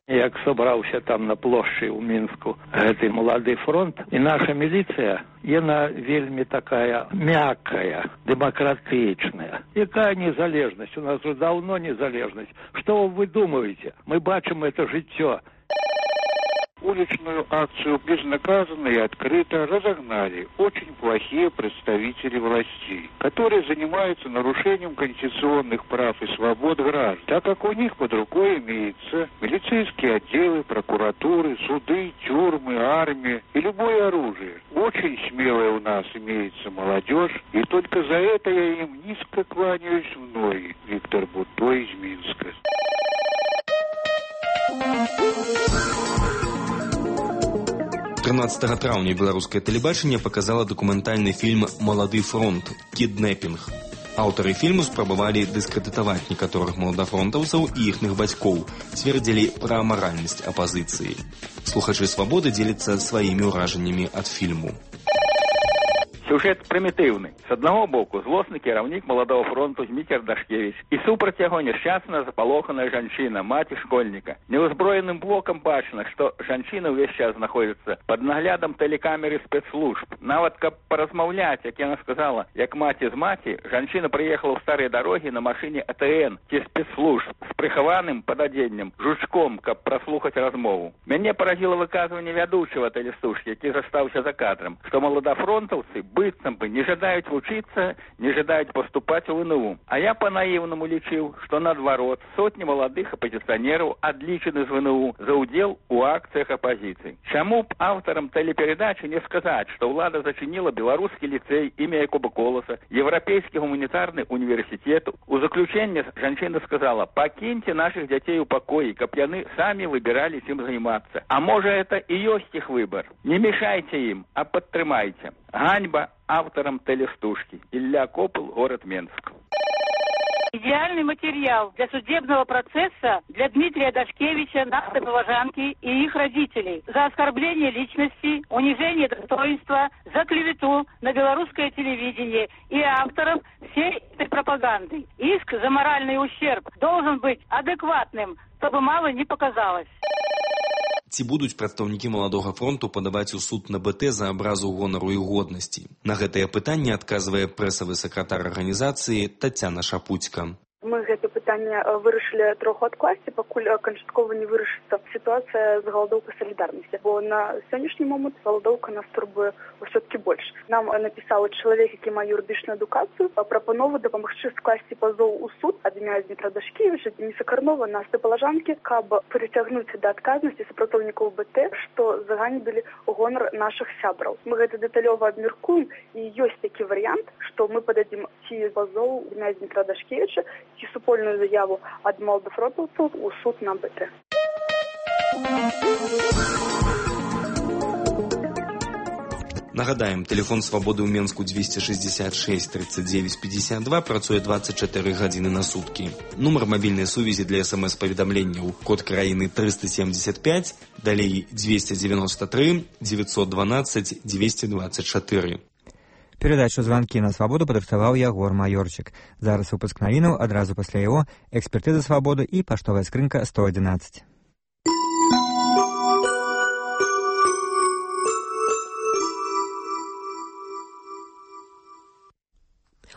Як собраўся там на плошчы ў Мінску гэты «Малады фронт», і наша міліцыя, яна вельмі такая мяккая, дэмакратычная. Якая незалежнасць? У нас уже давно незалежнасць. Што вы думаете? Мы бачым это жыццё. Уличную акцию безнаказанно и открыто разогнали очень плохие представители властей, которые занимаются нарушением конституционных прав и свобод граждан, так как у них под рукой имеются милицейские отделы, прокуратуры, суды, тюрьмы, армия и любое оружие. Очень смелая у нас имеется молодежь, и только за это я им низко кланяюсь в ноги. Виктор Бутто из Минска. 13 траўня беларускае тэлебачанне паказала дакументальны фільм «Малады фронт. Кіднэпінг». Аўтары фільму спрабавалі дыскрэдытаваць некаторых маладафронтаўцаў і іхных бацькоў, цвердзілі пра амаральнасць апазіцыі. Слухачы «Свабоды» дзеляцца сваімі ўражаннямі ад фільму. Сюжет примитивный. С одного боку злостный кіраўнік Маладого фронту Зміцер Дашкевич і супраць яго няшчасная запалоханая жанчына, маці школьніка. Неўзброеным блокам бачна, што жанчына ўвесь час знаходзіцца пад наглядам тэлекамеры спецслужб. Нават каб паразмаўляць, як яна сказала, як маці з маці, жанчына прыехала ў старыя дарогі на машыне АТН ці спецслужб з прыхаваным пададзеннем, жучком, каб праслухаць размову. Мяне паразіла выказванне вядучага тэлестужкі, які застаўся за кадрам, што маладафронтаўцы быццам бы не жадаюць вучыцца, не жадаюць паступаць у ВНУ. А я па-наіўнаму лічыў, што наадварот сотні маладых апазіцыянераў адлічаны з ВНУ за ўдзел у акцыях апазіцыі. Чаму б аўтарам тэлеперадачы не сказаць, што ўлада зачыніла беларускі ліцэй імя Якуба Коласа, Еўрапейскі гуманітарны універсітэт. У заключэнне жанчына сказала: «Пакіньце нашых дзяцей у пакоі, каб яны самі выбіралі чым займацца. А можа, это і ёсць іх выбар. Не мешайце ім, а падтрымайце». Ганьба авторам телестужки. Илья Копыл, город Менск. Идеальный материал для судебного процесса для Дмитрия Дашкевича, нашей поважанки и их родителей за оскорбление личности, унижение достоинства, за клевету на белорусское телевидение и авторов всей этой пропаганды. Иск за моральный ущерб должен быть адекватным, чтобы мало не показалось. Ці будуць прадстаўнікі маладога фронту падаваць у суд на БТ за абразу гонару і годнасці? На гэтае пытанне адказвае прэсавы сакратар арганізацыі Тацяна Шапуцька. Мы гэта пытанне вырашылі троху адкласці, пакуль канчаткова не вырашыцца сітуацыя з галадоўкай салідарнасці, бо на сённяшні момант галадоўка нас турбуе ўсё-такі больш. Нам напісаў чалавек, які мае юрыдычную адукацыю, прапанову дапамагчы скласці пазоў у суд ад імя Дмітра Дашкевіча, Дениса Карнова на Степалажанкі, каб прыцягнуць да адказнасці супрацоўнікаў БТ, што заганебілі гонар нашых сябраў. Мы гэта дэталёва абмяркуем, і ёсць такі варыянт, што мы пададзім ці пазоў імя Дмітра Дашкевіча, ці супольную заяву ад малдафронтаўцаў у суд на БТ. Нагадаем, тэлефон свабоды ў Менску 266 39 52 працуе 24 гадзіны на суткі. Нумар мабільнай сувязі для СМС-паведамленняў код краіны 375, далей 293 912 224. Перадачу «Званкі на свабоду» падрыхтаваў Ягор Маёрчык. Зараз выпуск навінаў, адразу пасля яго экспертыза свабоды і паштовая скрынка 111.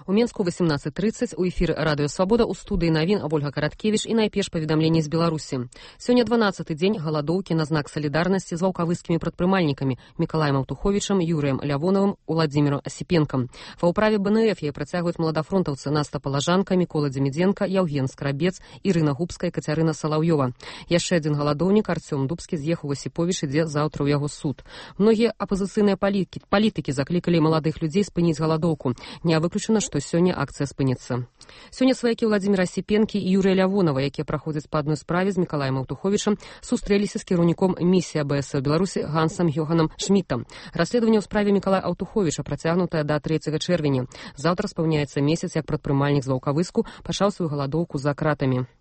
У Менску 18:30 у эфіры радыё «Свабода» у студыі навін Ольга Караткевіч і найперш паведамленні з Беларусі. Сёння 12-й дзень галадоўкі на знак салідарнасці з ваўкавыскімі прадпрымальнікамі Мікалаем Аўтуховічам, Юрыем Лявоновым, Уладзіміром Асіпенкам. Ва ўправе БНФ яе працягваюць маладафронтаўцы Наста Палажанка, Мікола Дземідзенка, Яўген Скрабец, Ірына Губская, Кацярына Салаўёва. Яшчэ адзін галадоўнік Арцём Дубскі з'ехаў у Асіповіч, ідзе заўтра ў яго суд. Многія апазіцыйныя палітыкі заклікалі маладых людзей спыніць галадоўку. Не выключана, што сёння акцыя спыніцца. Сёння сваякі Уладзіміра Асіпенкі і Юрыя Лявонова, якія праходзяць па адной справе з Мікалаем Аўтуховічам, сустрэліся з кіраўніком місіі АБС у Беларусі Гансам Йоганам Шмітам. Расследаванне ў справе Мікалая Аўтуховіча працягнутае да 3 чэрвеня. Заўтра спаўняецца месяц, як прадпрымальнік з Ваўкавыску пачаў сваю галадоўку за кратамі.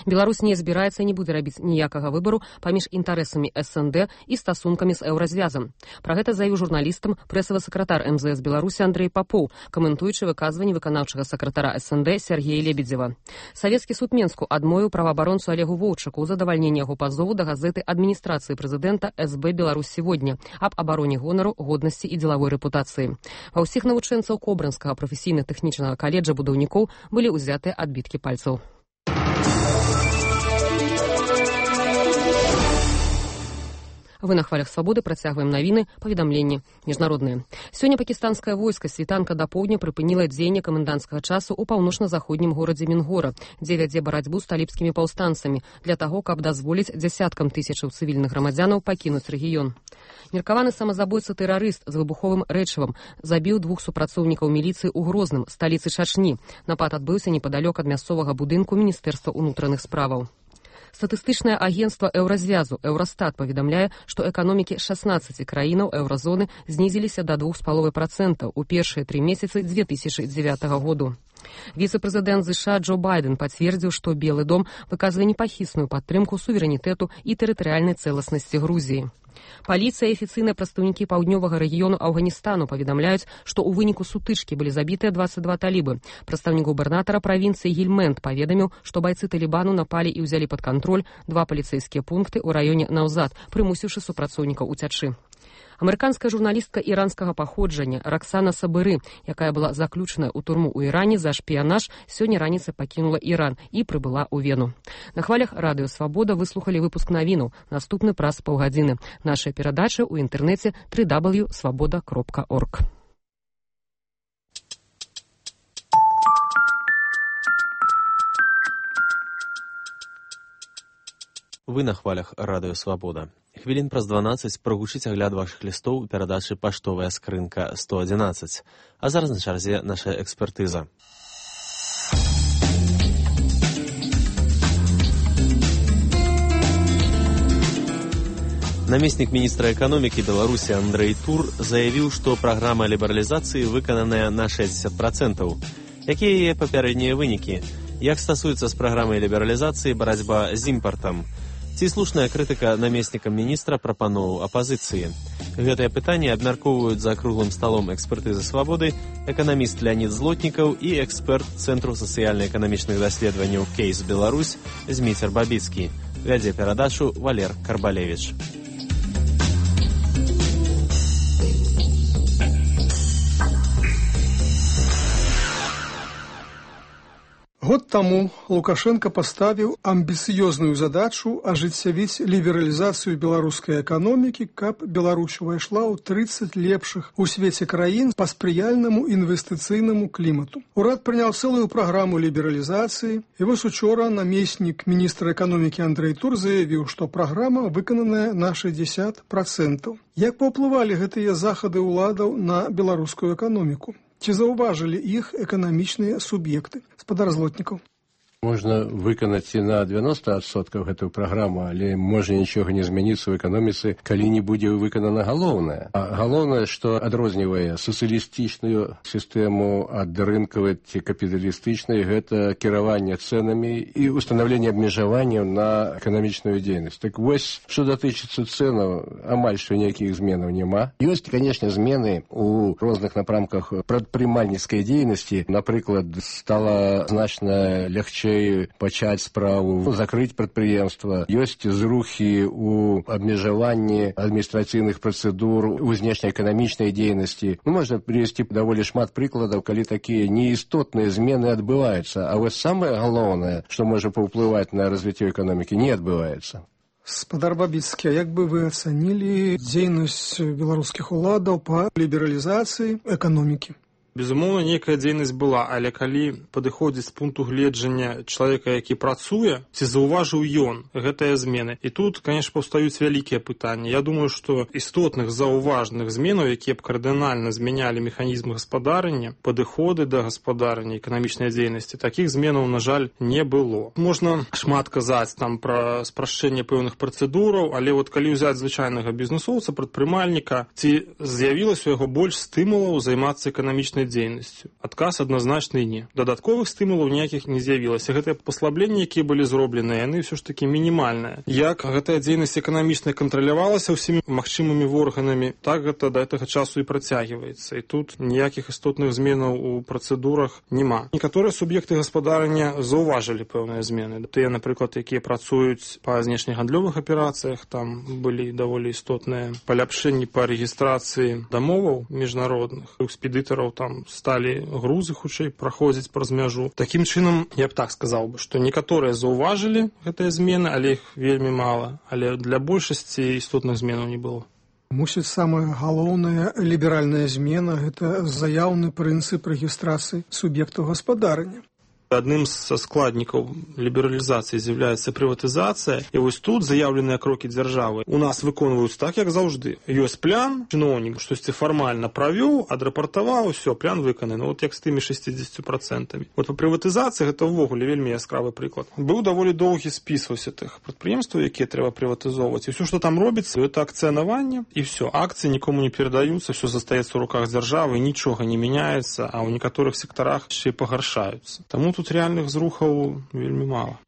Беларусь не збіраецца і не будзе рабіць ніякага выбару паміж інтарэсамі СНД і стасункамі з еўразвязам. Пра гэта заявіў журналістам прэсавы сакратар МЗС Беларусі Андрэй Папоў, каментуючы выказванні выканаўчага сакратара СНД Сергея Лебедзева. Савецкі суд Менску адмовіў праваабаронцу Олегу Воўчаку ў задавальненні яго пазову да газеты адміністрацыі прэзідэнта СБ «Беларусь сегодня» аб абароне гонару, годнасці і дзелавой рэпутацыі. Ва ўсіх навучэнцаў Кобрынскага прафесійна-тэхнічнага каледжа будаўнікоў былі ўзятыя адбіткі пальцаў. Вы на хвалях свабоды працягваем навіны, паведамленні міжнародныя. Сёння пакістанскае войска світанка да поўдня прыпыніла дзеянне каменданцкага часу ў паўночна-заходнім горадзе Мінгора, дзе вядзе барацьбу з талібскімі паўстанцамі для таго, каб дазволіць дзясяткам тысячаў цывільных грамадзянаў пакінуць рэгіён. Меркаваны самазабойца-тэрарыст з выбуховым рэчывам забіў 2 супрацоўнікаў міліцыі ў Грозным, сталіцы Чачні. Напад адбыўся непадалёк ад мясцовага будынку Міністэрства ўнутраных справаў. Статыстычнае агенцтва еўразвязу Еўрастат паведамляе, што эканомікі 16 краінаў еўразоны знізіліся да 2,5% у першыя 3 месяцы 2009 году. Віцэ-прэзідэнт США Джо Байден пацвердзіў, што Белы дом выказвае непахісную падтрымку суверэнітэту і тэрытарыяльнай цэласнасці Грузіі. Паліцыя і афіцыйныя прадстаўнікі паўднёвага рэгіёну Афганістану паведамляюць, што ў выніку сутычкі былі забітыя 22 талібы. Прадстаўнік губернатара правінцыі Гільмент паведаміў, што байцы Талібану напалі і ўзялі пад кантроль 2 паліцэйскія пункты ў раёне Наўзад, прымусіўшы супрацоўнікаў уцячы. Амерыканская журналістка іранскага паходжання Роксана Сабыры, якая была заключаная ў турму ў Іране за шпіянаж, сёння раніцай пакінула Іран і прыбыла ў Вену. На хвалях радыё «Свабода» выслухалі выпуск навінаў. Наступны праз паўгадзіны. Наша перадача ў інтэрнэце www.svoboda.org. Вы на хвалях радыё «Свабода». Хвілін праз 12 прагучыць агляд вашых лістоў у перадачы «Паштовая скрынка 111». А зараз на чарзе наша экспертыза. Намеснік міністра эканомікі Беларусі Андрэй Тур заявіў, што праграма лібералізацыі выкананая на 60%. Якія яе папярэднія вынікі? Як стасуецца з праграмай лібералізацыі барацьба з імпартам? Ці слушная крытыка намеснікам міністра прапановаў апазіцыі? Гэтае пытанне абмяркоўваюць за круглым сталом экспертызы свабоды эканаміст Леонид Злотнікаў і эксперт Цэнтру сацыяльна-эканамічных даследаванняў «Кейс Беларусь» Зміцер Бабіцкі. вядзе перадачу Валер Карбалевіч. Год таму Лукашенко паставіў амбіцыёзную задачу ажыццявіць лібералізацыю беларускай эканомікі, каб Беларусь увайшла ў 30 лепшых у свеце краін па спрыяльнаму інвестыцыйнаму клімату. Урад прыняў цэлую праграму лібералізацыі, і вось учора намеснік міністра эканомікі Андрэй Тур заявіў, што праграма выкананая на 60%. Як паўплывалі гэтыя захады ўладаў на беларускую эканоміку? Ці заўважылі іх эканамічныя суб'екты? Спадар Злотнікаў. Можна выканаць і на 90% гэтую праграму, але можа нічога не змяніцца ў эканоміцы, калі не будзе выканана галоўнае. А галоўнае, што адрознівае сацыялістычную сістэму ад рынкавай ці капіталістычнай, гэта кіраванне цэнамі і устанаўленне абмежаванняў на эканамічную дзейнасць. Так вось, што датычыцца цэнаў, амаль што ніякіх зменаў няма. Ёсць, канешне, змены ў розных напрамках прадпрымальніцкай дзейнасці. Напрыклад, стала значна лягчэй пачаць справу, закрыць прадпрыемства. Ёсць зрухі ў абмежаванні адміністрацыйных працэдур, у знешнеэканамічнай дзейнасці. Можна прывесці даволі шмат прыкладаў, калі такія неістотныя змены адбываюцца. А вось самае галоўнае, што можа паўплываць на развіццё эканомікі, не адбываецца. Спадар Бабіцкі, як бы вы ацанілі дзейнасць беларускіх уладаў па лібералізацыі эканомікі? Безумоўна, нейкая дзейнасць была, але калі падыходзіць з пункту гледжання чалавека, які працуе, ці заўважыў ён гэтыя змены. І тут, конечно, паўстаюць вялікія пытанні. Я думаю, што істотных заўважных зменаў, якія б кардынальна змянялі механізм гаспадарання, падыходы да гаспадарання, эканамічнай дзейнасці, такіх зменаў, на жаль, не было. Можна шмат казаць там пра спрашчэнне пэўных працэдураў, але вот калі ўзяць звычайнага бізнесоўца, прадпрымальніка, ці з'явілася у яго больш стымулаў займацца эканамічнай дзейнасцю. Адказ адназначны не. Дадатковых стымулаў ніякіх не з'явілася. Гэтыя паслабленні, якія былі зроблены, яны ўсё ж такі мінімальныя. Як гэтая дзейнасць эканамічная кантралявалася ўсімі магчымымі органамі, так гэта да гэтага часу і працягваецца. І тут ніякіх істотных зменаў у працэдурах няма. Некаторыя суб'екты гаспадарання заўважылі пэўныя змены. Тыя, напрыклад, якія працуюць па знешнегандлёвых аперацыях, там былі даволі істотныя паляпшэнні па рэгістрацыі дамоваў міжнародных, экспедытараў там сталі грузы хутчэй праходзіць праз мяжу. Такім чынам, я б так сказаў бы, што некаторыя заўважылі гэтыя змены, але іх вельмі мала. Але для большасці істотных зменаў не было. Мусіць, самая галоўная ліберальная змена – гэта заяўны прынцып рэгістрацыі суб'ектаў гаспадарання. Адным са складнікаў лібералізацыі з'яўляецца прыватызацыя, і вось тут заяўленыя крокі дзяржавы у нас выконваюцца так, як заўжды. Ёсць план, чыноўнік штосьці фармальна правёў, адрапартаваў, усё, план выкананы. Вот як з тымі 60%. Вот па прыватызацыі гэта ўвогуле вельмі яскравы прыклад. Быў даволі доўгі спіс вось тых прадпрыемстваў, якія трэба прыватызоўваць. І ўсё, што там робіцца, гэта акцыянаванне, і ўсё. Акцыі нікому не перадаюцца, ўсё застаецца ў руках дзяржавы, нічога не мяняецца, а ў некаторых сектарах яшчэ і пагаршаюцца. Таму тут реальных зрухаў вельмі мала.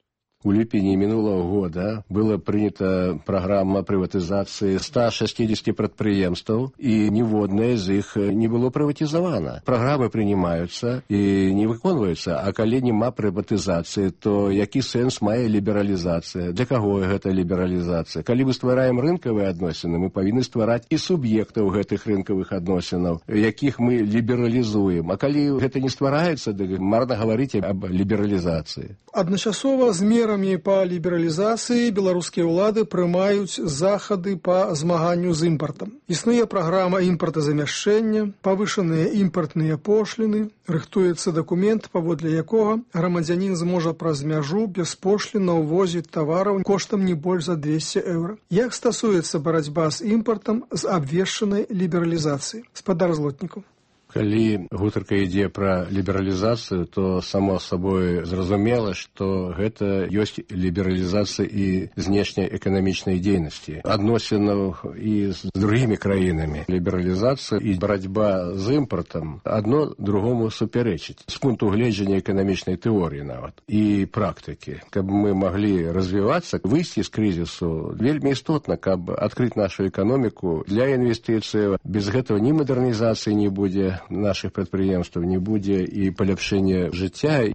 У ліпені мінулого года была прынята праграма прыватызацыі 160 прадпрыемстваў, і ніводнае з іх не было прыватызавана. Праграмы прынимаюцца і не выконваюцца, а калі няма прыватызацыі, то які сэнс мае лібералізацыя? Для каго гэта лібералізацыя? Калі мы ствараем рынкавыя адносіны, мы павінны ствараць і суб'ектаў гэтых рынкавых адносінаў, якіх мы лібералізуем. А калі гэта не ствараецца, дык марна гаварыць аб лібералізацыі. Адначасова з мерамі па лібералізацыі беларускія ўлады прымаюць захады па змаганню з імпартам. Існуе праграма імпартазамяшчэння, павышаныя імпартныя пошліны, рыхтуецца дакумент, паводле якога грамадзянін зможа праз мяжу беспошлінна ўвозіць тавараў коштам не больш за 200 еўра. Як стасуецца барацьба з імпартам з абвешчанай лібералізацыі? Спадар Злотнікаў. Калі гутарка ідзе пра лібералізацыю, то само сабой зразумела, што гэта ёсць лібералізацыя і знешняй эканамічнай дзейнасці, адносінаў і з другімі краінамі. Лібералізацыя і барацьба з імпартам адно другому супярэчыць. З пункту гледжання эканамічнай тэорыі нават і практыкі. Каб мы маглі развівацца, выйсці з крызісу, вельмі істотна, каб адкрыць нашу эканоміку для інвестыцыяў. Без гэтага ні мадэрнізацыі не будзе, наших прадпрыемстваў не будзе і паляпшэння жыцця.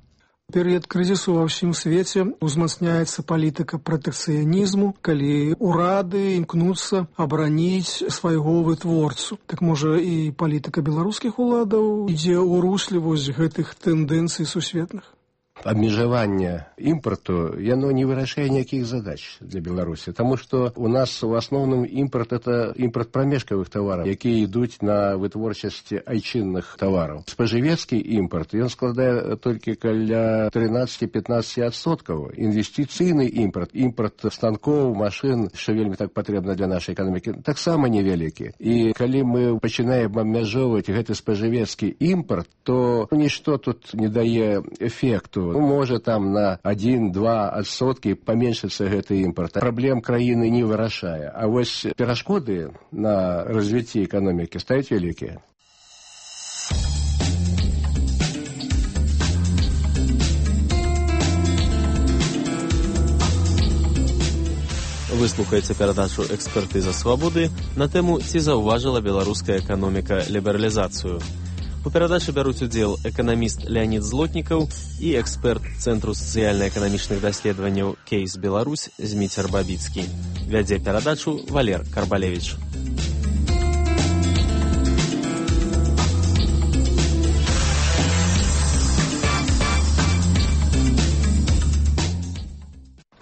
Перыяд крызісу ва ўсім свеце узмацняецца палітыка пратэкцыянізму, калі ўрады імкнуцца абараніць свайго вытворцу. Так можа і палітыка беларускіх уладаў ідзе ў русле вось гэтых тэндэнцый сусветных? Абмежаванне імпарту, яно не вырашае ніякіх задач для Беларусі, таму што у нас у асноўным імпарт – это імпарт прамежкавых тавараў, якія ідуць на вытворчасць айчынных тавараў. Спажывецкі імпарт, ён складае толькі каля 13-15%. Інвестыцыйны імпарт, імпарт станкоў, машын, што вельмі так патрэбна для нашай эканомікі, таксама невялікі. І калі мы пачынаем абмяжоўваць гэты спажывецкі імпарт, то нішто тут не дае эфекту. Можа там на 1-2% паменшыцца гэты імпарт. Праблем краіны не вырашае. А вось перашкоды на развіцці эканомікі стаюць вялікія. Выслухаеце перадачу «Экспертыза свабоды» на тэму «Ці заўважыла беларуская эканоміка лібералізацыю». У перадачы бяруць удзел эканаміст Леонид Злотнікаў і эксперт Цэнтру сацыяльна-эканамічных даследаванняў «Кейс Беларусь» Зміцер Бабіцкі. Вядзе перадачу Валер Карбалевіч.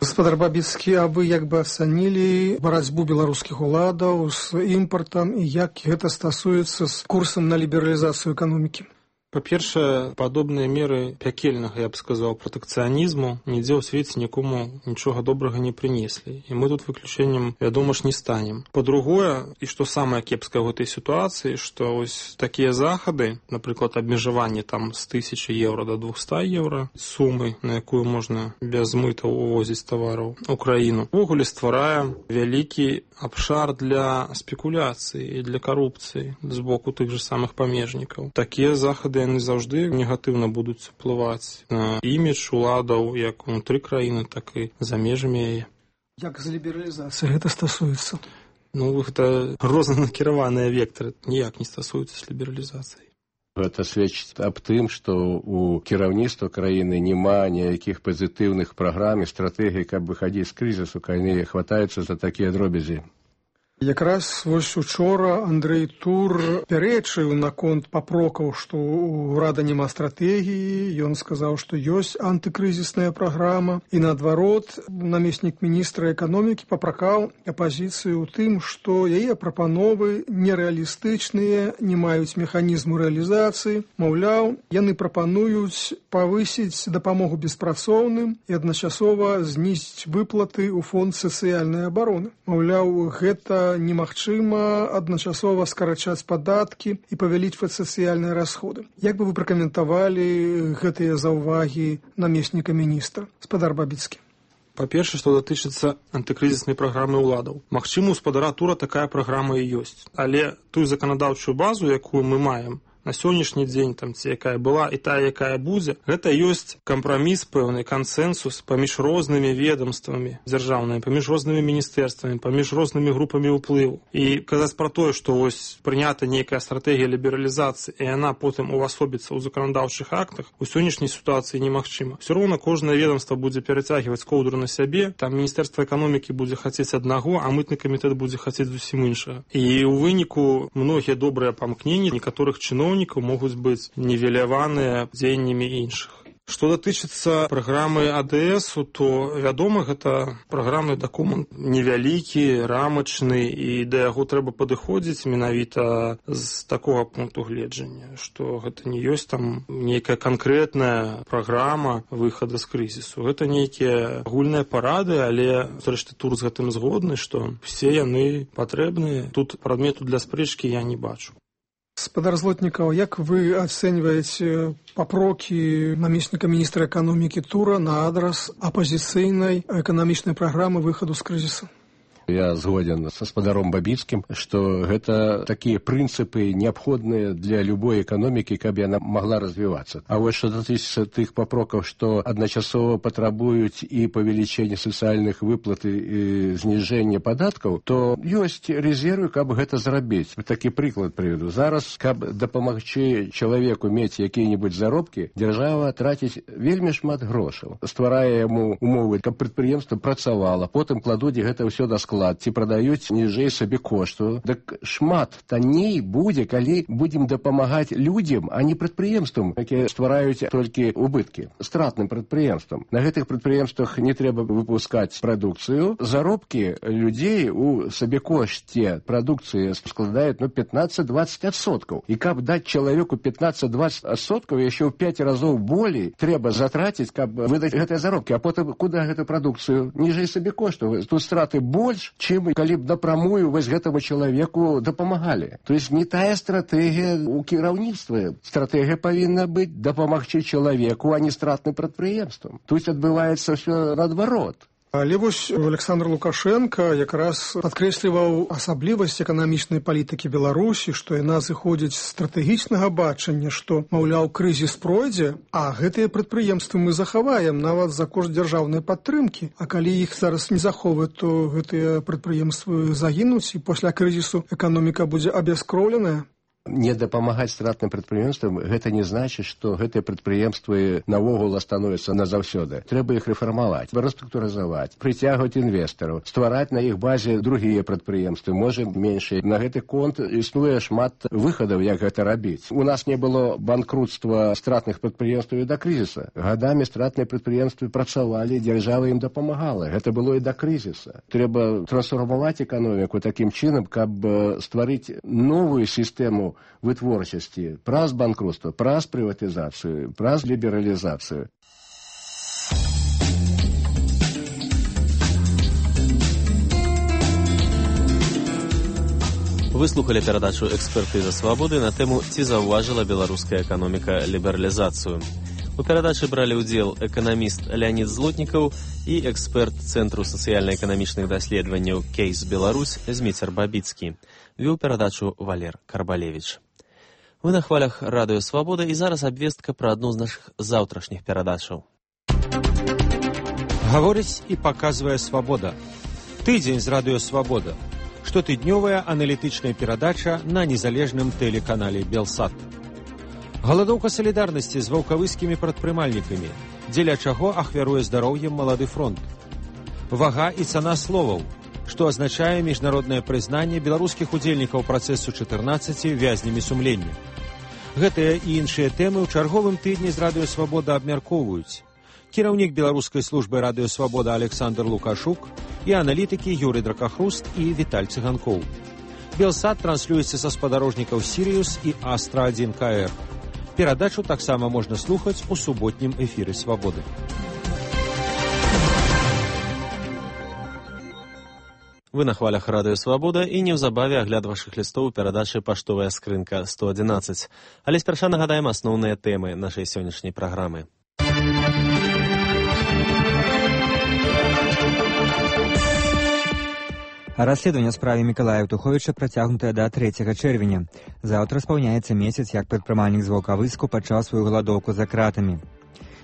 Гаспадар Бабіцкі, а вы як бы ацанілі барацьбу беларускіх уладаў з імпартам і як гэта стасуецца з курсам на лібералізацыю эканомікі? Па-першае, падобныя меры пякельнага, я б сказаў, пратэкцыянізму нідзе ў свеце нікому нічога добрага не прынеслі. І мы тут выключэннем, вядома ж, не станем. Па-другое, і што самае кепскае ў гэтай сітуацыі, што ось такія захады, напрыклад, абмежаванне там з 1000 еўра до 200 еўра сумы, на якую можна без мытаў увозіць тавараў у краіну, увогуле стварае вялікі абшар для спекуляцыі і для карупцыі з боку тых жа самых памежнікаў. Такія захады яны заўжды негатыўна будуць уплываць на імідж уладаў як унутры краіны, так і за межамі яе. Як з лібералізацыяй гэта стасуецца? Гэта рознанакіраваныя вектары, ніяк не стасуюцца з лібералізацыяй. Гэта сведчыць аб тым, што у кіраўніцтва краіны няма ніякіх пазітыўных праграм і стратэгій, каб выхадзіць з крызісу, калі хватаюцца за такія дробязі. Якраз вось учора Андрэй Тур пярэчыў наконт папрокаў, што ў ўрада няма стратэгіі. Ён сказаў, што ёсць антыкрызісная праграма. І наадварот, намеснік міністра эканомікі папракаў апазіцыю ў тым, што яе прапановы нерэалістычныя, не маюць механізму рэалізацыі. Маўляў, яны прапануюць павысіць дапамогу беспрацоўным і адначасова знізіць выплаты ў фонд сацыяльнай абароны. Маўляў, гэта немагчыма адначасова скарачаць падаткі і павялічваць сацыяльныя расходы. Як бы вы пракаментавалі гэтыя заўвагі намесніка міністра? Гаспадар Бабіцкі. Па-першае, што датычыцца антыкрызіснай праграмы ўладаў. Магчыма, у гаспадара Тура такая праграма і ёсць. Але тую заканадаўчую базу, якую мы маем на сённяшні дзень, там, ці якая была і тая, якая будзе, гэта ёсць кампраміс, пэўны кансэнсус паміж рознымі ведомствамі дзяржаўнымі, паміж рознымі міністэрствамі, паміж рознымі групамі ўплыву. І казаць пра тое, што вось прынята нейкая стратэгія лібералізацыі, і яна потым увасобіцца ў заканадаўчых актах, у сённяшняй сітуацыі немагчыма. Усё роўна кожнае ведомства будзе перацягваць коўдру на сябе, там міністэрства эканомікі будзе хацець аднаго, а мытны камітэт будзе хацець зусім іншага. І ў выніку многія добрыя памкненні некаторых чыноўнікаў могуць быць нівеляваныя дзеяннямі іншых. Што датычыцца праграмы АДС, то, вядома, гэта праграмны дакумент невялікі, рамачны, і да яго трэба падыходзіць менавіта з такога пункту гледжання, што гэта не ёсць там нейкая канкрэтная праграма выхада з крызісу. Гэта нейкія агульныя парады, але, зрэшты, Тур з гэтым згодны, што все яны патрэбныя. Тут прадмету для спрэчкі я не бачу. Гаспадар Злотнікаў, як вы ацэньваеце папрокі намесніка міністра эканомікі Тура на адрас апазіцыйнай эканамічнай праграмы выхаду з крызісу? Я згоден с гаспадаром Бабіцкім, што гэта такія прынцыпы неабходныя для любой эканомікі, каб яна могла развівацца. А вось што датычыцца тых папрокаў, што адначасова патрабуюць і павелічэння сацыяльных выплат і зніжэння падаткаў, то ёсць резервы, каб гэта зрабіць. Такі прыклад прыведу. Зараз, каб дапамагчы чалавеку мець якія-небудзь заробкі, дзяржава траціць вельмі шмат грошаў. Стварае яму умовы, каб прадпрыемства працавала, потым кладуць гэта ўсё на склад, ці прадаюць ніжэй сабе кошту. Дык шмат танней будзе, калі будзем дапамагаць людзям, а не прадпрыемствам, якія ствараюць толькі убыткі, стратным прадпрыемствам. На гэтых прадпрыемствах не трэба выпускаць прадукцыю. Заробкі людзей у сабекошце прадукцыі складаюць 15-20%. І каб даць чалавеку 15-20%, яшчэ ў 5 разоў болей трэба затраціць, каб выдаць гэтыя заробкі. А потым куды гэту прадукцыю? Ніжэй сабекошту. Тут страты больш, чым калі б напрамую вось гэтаму чалавеку дапамагалі. То есть не тая стратэгія ў кіраўніцтве. Стратэгія павінна быць дапамагчы чалавеку, а не стратным прадпрыемствам. Тут адбываецца ўсё наадварот. Але вось Александр Лукашенко якраз падкрэсліваў асаблівасць эканамічнай палітыкі Беларусі, што яна зыходзіць з стратэгічнага бачання, што, маўляў, крызіс пройдзе, а гэтыя прадпрыемствы мы захаваем нават за кошт дзяржаўнай падтрымкі. А калі іх зараз не захоўваць, то гэтыя прадпрыемствы загінуць, і пасля крызісу эканоміка будзе абяскроўленая. Не дапамагаць стратным прадпрыемствам, гэта не значыць, што гэтыя прадпрыемствы навогул становяцца назаўсёды. Трэба іх рэфармаваць, рэструктурызаваць, прыцягваць інвестараў, ствараць на іх базе другія прадпрыемствы, можа меншыя. На гэты конт існуе шмат выхадаў, як гэта рабіць. У нас не было банкрутства стратных прадпрыемстваў і да крызіса. Гадамі стратныя прадпрыемствы працавалі, дзяржава ім дапамагала. Гэта было і да крызіса. Трэба трансфармаваць эканоміку такім чынам, каб стварыць новую сістэму вытворчасці праз банкрутства, праз прыватызацыю, праз лібералізацыю. Вы слухали перадачу «Экспертыза свабоды» на тэму «Ці заўважыла беларуская эканоміка лібералізацыю». У перадачы бралі ўдзел эканаміст Леонид Злотнікаў і эксперт Цэнтру сацыяльна-эканамічных даследаванняў «Кейс Беларусь» Зміцер Бабіцкі. Вёў перадачу Валер Карбалевіч. Вы на хвалях радыё «Свабода» і зараз абвестка пра адну з нашых заўтрашніх перадачаў. Гаворыць і паказвае «Свабода». Тыдзень з радыё «Свабода». Штотыднёвая аналітычная перадача на незалежным тэлеканале «Белсат». Галадоўка салідарнасці з ваўкавыскімі прадпрымальнікамі, дзеля чаго ахвяруе здароўем малады фронт. Вага і цана словаў, што азначае міжнароднае прызнанне беларускіх удзельнікаў працэсу 14 вязнямі сумлення. Гэтыя і іншыя тэмы ў чарговым тыдні з радыё «Свабода» абмяркоўваюць кіраўнік беларускай службы радыё «Свабода» Александр Лукашук і аналітыкі Юрый Дракахруст і Віталь Цыганкоў. Белсат транслюецца са спадарожнікаў «Сірыус» і «Астра-1 КР». Перадачу таксама можна слухаць у суботнім эфіры «Свабоды». Вы на хвалях радыё «Свабода» і неўзабаве агляд вашых лістоў у перадачы «Паштовая скрынка 111». Але спярша нагадаем асноўныя тэмы нашай сённяшняй праграмы. Расследаванне ў справе Мікалая Еўтуховіча працягнутае да 3 чэрвеня. Заўтра спаўняецца месяц, як прадпрымальнік з Ваўкавыску пачаў сваю галадоўку за кратамі.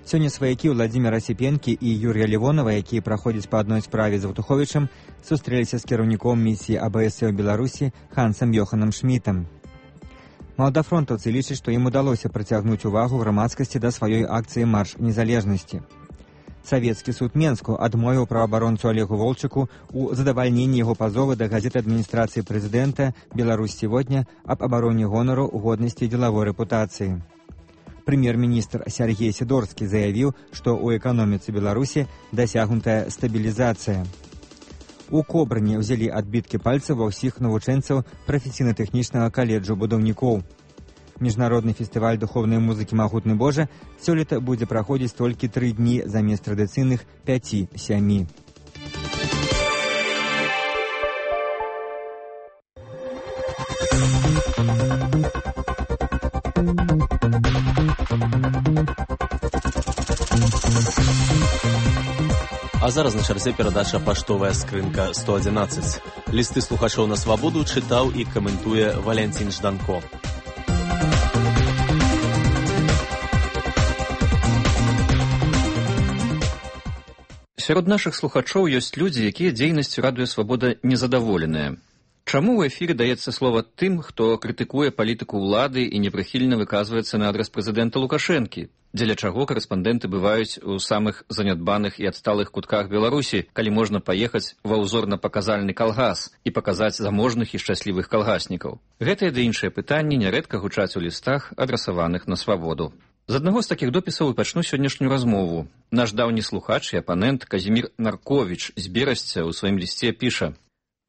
Сёння сваякі Владзіміра Сіпенкі і Юрія Лівонова, якія праходзяць па адной справе з Еўтуховічам, сустрэліся з кіраўніком місіі АБС у Беларусі Хансам Йоханам Шмітам. Маладафронтаўцы лічаць, што ім удалося прыцягнуць увагу грамадскасці да сваёй акцыі «Марш незалежнасці». Савецкі суд Менску адмовіў праваабаронцу Олегу Волчыку у задавальненні яго пазовы да газеты адміністрацыі прэзідэнта «Беларусь сегодня» аб абароне гонару, годнасці і дзелавой рэпутацыі. Прэм'ер-міністр Сергей Сідорскі заявіў, што ў эканоміцы Беларусі дасягнутая стабілізацыя. У Кобрыні ўзялі адбіткі пальцаў ва ўсіх навучэнцаў прафесійна-тэхнічнага каледжу будаўнікоў. Міжнародны фестываль духовнай музыкі «Магутны Божа» сёлета будзе праходзіць толькі 3 дні замест традыцыйных 5-7. А зараз на чарзе перадача «Паштовая скрынка 111». Лісты слухачоў на свабоду чытаў і каментуе Валянцін Жданко. Сярод нашых слухачоў ёсць людзі, якія дзейнасцю радыё «Свабода» незадаволеныя. Чаму ў эфіры даецца слова тым, хто крытыкуе палітыку ўлады і непрыхільна выказваецца на адрас прэзідэнта Лукашэнкі? Дзеля чаго карэспандэнты бываюць у самых занядбаных і адсталых кутках Беларусі, калі можна паехаць ва ўзорна-паказальны калгас і паказаць заможных і шчаслівых калгаснікаў? Гэтыя ды іншыя пытанні нярэдка гучаць у лістах, адрасаваных на свабоду. З аднаго з такіх допісаў і пачну сённяшнюю размову. Наш даўні слухач і апанент Казімір Нарковіч з Берасця ў сваім лісце піша: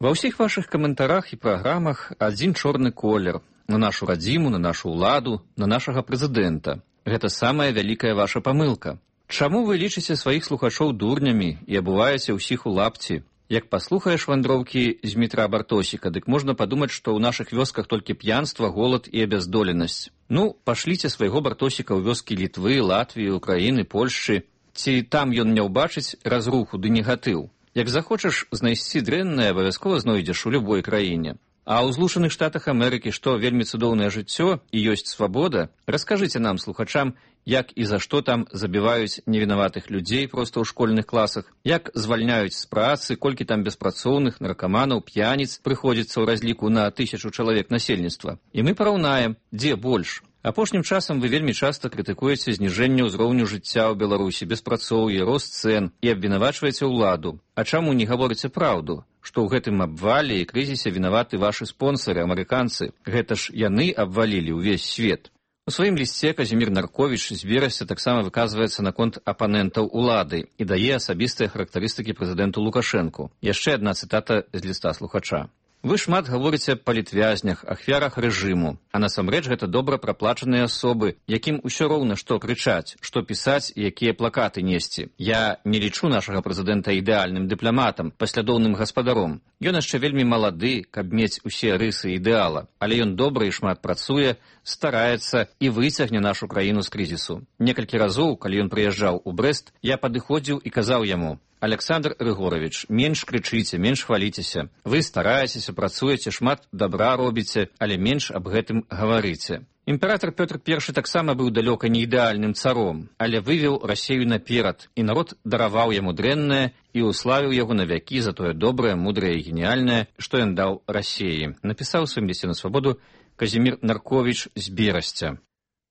«Ва ўсіх вашых каментарах і праграмах адзін чорны колер на нашу радзіму, на нашу ўладу, на нашага прэзідэнта. Гэта самая вялікая ваша памылка. Чаму вы лічыце сваіх слухачоў дурнямі і абуваеце ўсіх у лапці? Як паслухаеш вандроўкі з Дмітра Бартосіка, дык можна падумаць, што ў нашых вёсках толькі п'янства, голад і абяздоленасць. Ну, пашліце свайго Бартосіка ў вёскі Літвы, Латвіі, Украіны, Польшчы. Ці там ён не ўбачыць разруху ды негатыў? Як захочаш знайсці дрэннае, абавязкова знойдзеш у любой краіне. А ў Злучаных Штатах Амерыкі, што вельмі цудоўнае жыццё і ёсць свабода, раскажыце нам, слухачам, як і за што там забіваюць невінаватых людзей проста ў школьных класах, як звальняюць з працы, колькі там беспрацоўных, наркаманаў, п'яніц прыходзіцца ў разліку на 1000 чалавек насельніцтва. І мы параўнаем, дзе больш. Апошнім часам вы вельмі часта крытыкуеце зніжэнне ўзроўню жыцця ў Беларусі, беспрацоўе, рост цэн і абвінавачваеце ўладу. А чаму не гаворыце праўду, што ў гэтым абвале і крызісе вінаваты вашы спонсары, амерыканцы? Гэта ж яны абвалілі ўвесь свет. У сваім лісце Казімір Нарковіч з Берасця таксама выказваецца наконт апанентаў улады і дае асабістыя характарыстыкі прэзідэнту Лукашэнку. Яшчэ адна цытата з ліста слухача. Вы шмат гаворыце аб палітвязнях, ахвярах рэжыму, а насамрэч гэта добра праплачаныя асобы, якім усё роўна што крычаць, што пісаць і якія плакаты несці. Я не лічу нашага прэзідэнта ідэальным дыпламатам, паслядоўным гаспадаром. Ён яшчэ вельмі малады, каб мець усе рысы ідэала, але ён добра і шмат працуе, стараецца і выцягне нашу краіну з крызісу. Некалькі разоў, калі ён прыязджаў у Брэст, я падыходзіў і казаў яму: «Александр Рыгорович, менш крычыце, менш хваліцеся. Вы стараецеся, працуеце, шмат добра робіце, але менш аб гэтым гаварыце». Імператор Пётр I таксама быў далёка не ідэальным царом, але вывеў Расею наперад, і народ дараваў яму дрэннае і уславіў яго на вякі за тое добрае, мудрае і геніяльнае, што ён даў Расеі, напісаў у сваім лісце на свабоду Казімір Нарковіч з Берасця.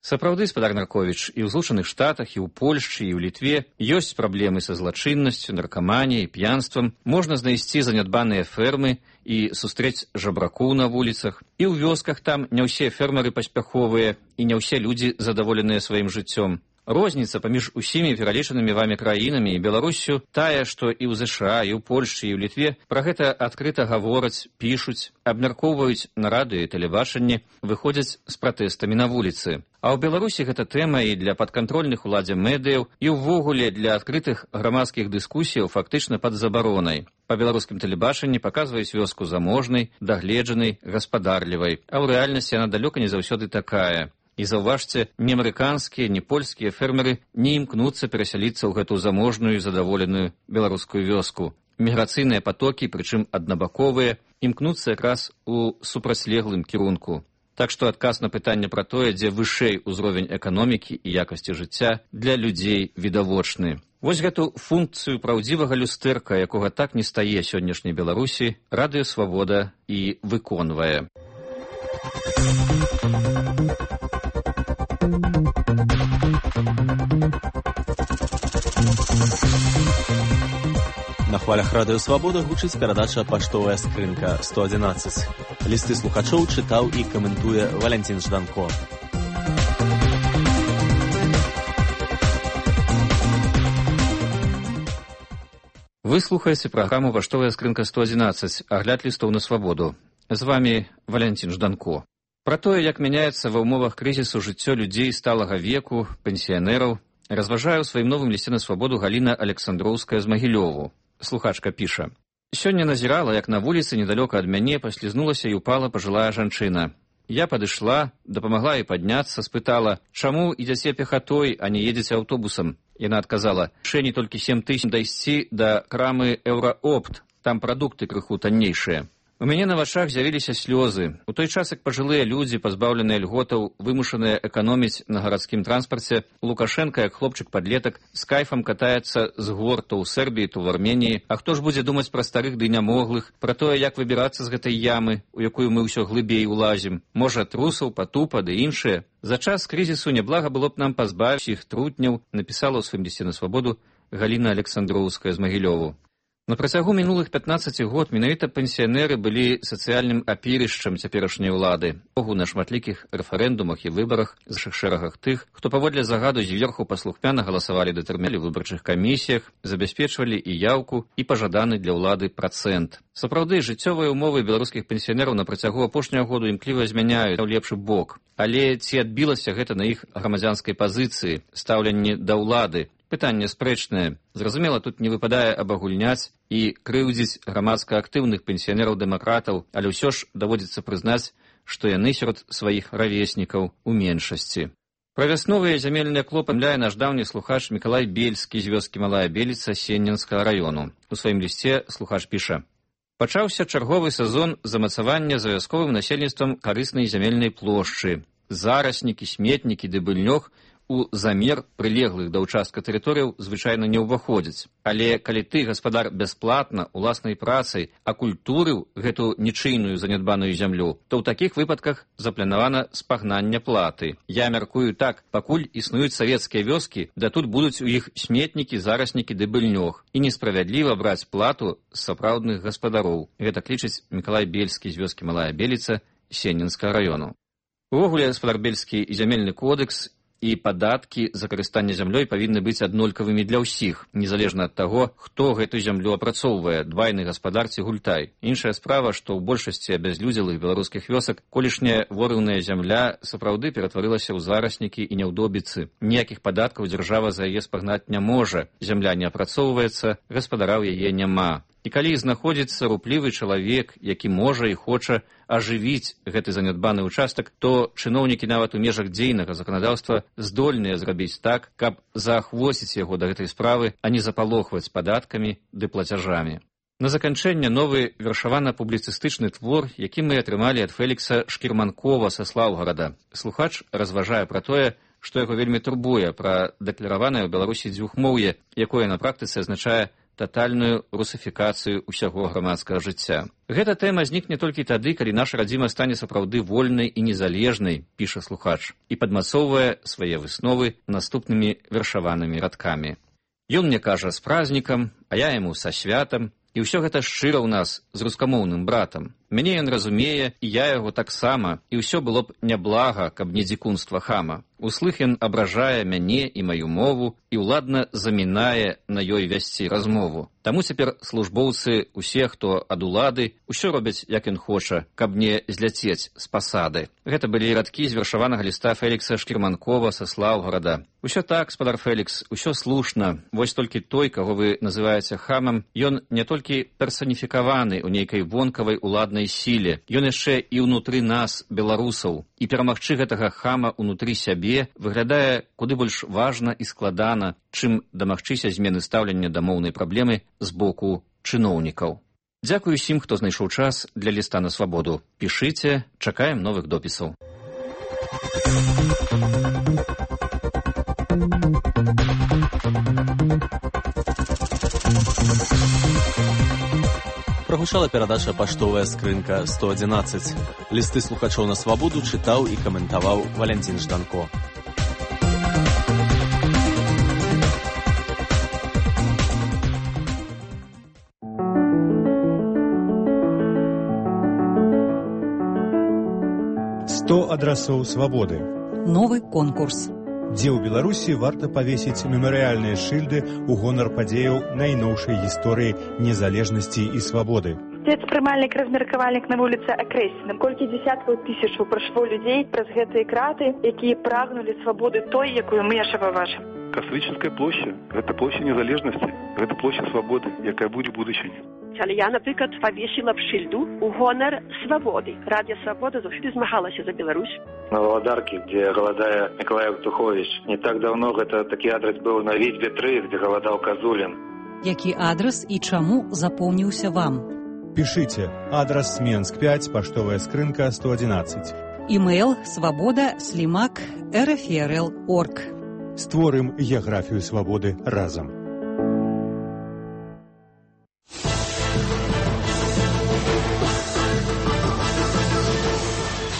Сапраўды, спадар Нарковіч, і ў Злучаных Штатах, і ў Польшчы, і ў Літве ёсць праблемы са злачыннасцю, наркаманіяй, п'янствам. Можна знайсці занядбаныя фермы і сустрэць жабракоў на вуліцах. І ў вёсках там не ўсе фермеры паспяховыя, і не ўсе людзі задаволеныя сваім жыццём. Розніца паміж усімі пералічанымі вамі краінамі і Беларуссю тая, што і ў ЗША, і ў Польшчы, і ў Літве пра гэта адкрыта гавораць, пішуць, абмяркоўваюць на радыё і тэлебачанні, выходзяць з пратэстамі на вуліцы. А ў Беларусі гэта тэма і для падкантрольных уладзе медыяў, і ўвогуле для адкрытых грамадскіх дыскусіяў фактычна пад забаронай. Па беларускім тэлебачанні паказваюць вёску заможнай, дагледжанай, гаспадарлівай, а ў рэальнасці яна далёка не заўсёды такая. І заўважце, ні амерыканскія, ні польскія фермеры не імкнуцца перасяліцца ў гэту заможную і задаволеную беларускую вёску. Міграцыйныя патокі, прычым аднабаковыя, імкнуцца якраз у супрацьлеглым кірунку. Так што адказ на пытанне пра тое, дзе вышэй узровень эканомікі і якасці жыцця, для людзей відавочны. Вось гэту функцыю праўдзівага люстэрка, якога так не стае сённяшняй Беларусі, радыё «Свабода» і выконвае. На хвалях радыё «Свабода» гучыць перадача «Паштовая скрынка 111». Лісты слухачоў чытаў і каментуе Валянцін Жданко. Вы слухаеце праграму «Паштовая скрынка 111», агляд лістоў на свабоду. З вамі Валянцін Жданко. Пра тое, як мяняецца ва ўмовах крызісу жыццё людзей сталага веку, пенсіянераў, разважае ў сваім новым лісце на свабоду Галіна Александроўская з Магілёву. Слухачка піша: «Сёння назірала, як на вуліцы недалёка ад мяне паслізнулася і упала пажылая жанчына. Я падышла, дапамагла ёй падняцца, спытала, чаму ідзяце пехатой, а не едзеце аўтобусам. Яна адказала: «Шэні толькі 7 тысяч дайсці да крамы Еўраопт, там прадукты крыху таннейшыя». У мяне на вачах з'явіліся слёзы. У той час, як пажылыя людзі, пазбаўленыя льготаў, вымушаныя эканоміць на гарадскім транспарце, Лукашенка, як хлопчык-падлетак, з кайфам катаецца з гор то ў Сербіі, то ў Арменіі. А хто ж будзе думаць пра старых ды нямоглых, пра тое, як выбірацца з гэтай ямы, у якую мы ўсё глыбей улазім? Можа, трусаў, патупа ды іншыя? За час крызісу няблага было б нам пазбавіць іх трутняў, напісала ў сваім лісце на свабоду Галіна Александроўская з Магілёву. На працягу мінулых 15 год менавіта пенсіянеры былі сацыяльным апірышчам цяперашняй улады. Богу на шматлікіх рэферэндумах і выбарах з шэрагах тых, хто паводле загаду зверху паслухмяна галасавалі да тэрміну ў выбарчых камісіях, забяспечвалі і яўку, і пажаданы для ўлады працэнт. Сапраўды, жыццёвыя ўмовы беларускіх пенсіянераў на працягу апошняга году імкліва змяняюць ў лепшы бок. Але ці адбілася гэта на іх грамадзянскай пазіцыі, стаўленні да ўлады? Пытанне спрэчнае. Зразумела, тут не выпадае абагульняць і крыўдзіць грамадска актыўных пенсіянераў-дэмакратаў, але ўсё ж даводзіцца прызнаць, што яны сярод сваіх равеснікаў у меншасці. Пра вясновыя зямельныя клопы мляе наш даўні слухач Мікалай Бельскі з вёскі Малая Беліца Сенненскага раёну. У сваім лісце слухач піша: «Пачаўся чарговы сезон замацавання за вясковым насельніцтвам карыснай зямельнай плошчы. Зараснікі, сметнікі ды быльнёг у замер прылеглых да ўчастка тэрыторыяў звычайна не ўваходзяць. Але калі ты, гаспадар, бясплатна, уласнай працай акультурыў гэту нічыйную занядбаную зямлю, то ў такіх выпадках запланавана спагнанне платы. Я мяркую так, пакуль існуюць савецкія вёскі, да тут будуць у іх сметнікі, зараснікі ды быльнёг. І несправядліва браць плату з сапраўдных гаспадароў». Гэта лічыць Мікалай Бельскі з вёскі Малая Беліца Сенненскага раёну. Увогуле, гаспадар Бельскі, і зямельны кодекс і падаткі за карыстанне зямлёй павінны быць аднолькавымі для ўсіх, незалежна ад таго, хто гэту зямлю апрацоўвае, двайны гаспадар ці гультай. Іншая справа, што ў большасці абязлюдзелых беларускіх вёсак колішняя ворыўная зямля сапраўды ператварылася ў зараснікі і няўдобіцы. Ніякіх падаткаў дзяржава за яе спагнаць не можа. Зямля не апрацоўваецца, гаспадара ў яе няма. І калі знаходзіцца руплівы чалавек, які можа і хоча ажывіць гэты занядбаны ўчастак, то чыноўнікі нават у межах дзейнага заканадаўства здольныя зрабіць так, каб заахвоціць яго да гэтай справы, а не запалохваць падаткамі ды плацяжамі. На заканчэнне новы вершавана-публіцыстычны твор, які мы атрымалі ад Фелікса Шкірманкова са Слаўгарада. Слухач разважае пра тое, што яго вельмі турбуе пра дэклараванае ў Беларусі дзвюхмоўе, якое на практыцы азначае татальную русифікацыю ўсяго грамадскага жыцця. Гэта тэма знікне толькі тады, калі наша радзіма стане сапраўды вольнай і незалежнай, піша слухач, і падмацоўвае свае высновы наступнымі вершаванымі радкамі. Ён мне кажа з празднікам, а я яму са святам, і ўсё гэта шчыра ў нас з рускамоўным братам. Мяне ён разумее, і я яго таксама, і ўсё было б няблага, каб не дзікунства хама. Услых ён абражае мяне і маю мову і ўладна замінае на ёй весці размову. Таму цяпер службоўцы, усе, хто ад улады, усё робяць, як ён хоча, каб не зляцець з пасады. Гэта былі радкі з вершаванага ліста Фелікса Шкірманкова са Слаўгарада. Усё так, спадар Фелікс, усё слушна. Вось толькі той, каго вы называеце хамам, ён не толькі персаніфікаваны ў нейкай вонкавай уладнай сіле, ён яшчэ і ўнутры нас, беларусаў. І перамагчы гэтага хама ўнутры сябе выглядае куды больш важна і складана, чым дамагчыся змены стаўлення да моўнай праблемы з боку чыноўнікаў. Дзякую усім, хто знайшоў час для ліста на свабоду. Пішыце, чакаем новых допісаў. Прагучала перадача «Паштовая скрынка 111». Лісты слухачоў на свабоду чытаў і каментаваў Валянцін Жданко. «100 адрасоў свабоды». Новы конкурс. Дзе ў Беларусі варта павесіць мемарыяльныя шыльды ў гонар падзеяў найноўшай гісторыі незалежнасці і свабоды. Спецпрымальнік-размеркавальнік на вуліцы Акрэсіна. Колькі дзесяткаў тысячаў прайшло людзей праз гэтыя краты, якія прагнулі свабоды той, якую мы яшчэ пабачым. Кастрычніцкая плошча – гэта плошча незалежнасці, гэта плошча свабоды, якая будзе ў будучыні. Але я, наприклад, павесіла б шыльду ў гонар свабоды. Радыё Свабода заўсёды змагалася за Беларусь. На Валадарке, где голодая Николай Евтухович. Не так давно это такі адрес быў на Вітьбе 3, где голодал Козулин. Які адрес і чаму запомніўся вам? Пишите. Адрес Менск 5, поштовая скрынка 111. Email svoboda@rfrl.org. Створым геаграфію свабоды разам.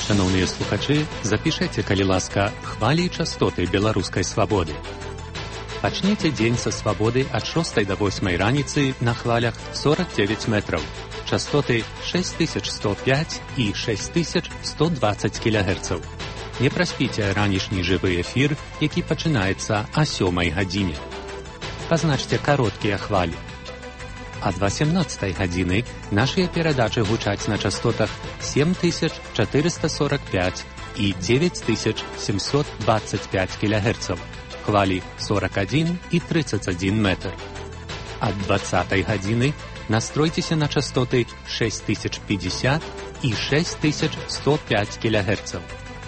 Шановныя слухачы, запішайце, калі ласка, хвалі і частоты беларускай свабоды. Пачніце дзень са свабоды ад 6 до 8 раніцы на хвалях 49 метраў. Частоты 6105 і 6120 кГц. Не праспіце ранішні жывы эфір, які пачынаецца о 7 гадзіне. Пазначце кароткія хвалі. Ад 18 гадзіны нашыя перадачы гучаць на частотах 7445 і 9725 кГц. Хвалі 41 і 31 метр. Ад 20 гадзіны настройцеся на частоты 6050 і 6105 кГц.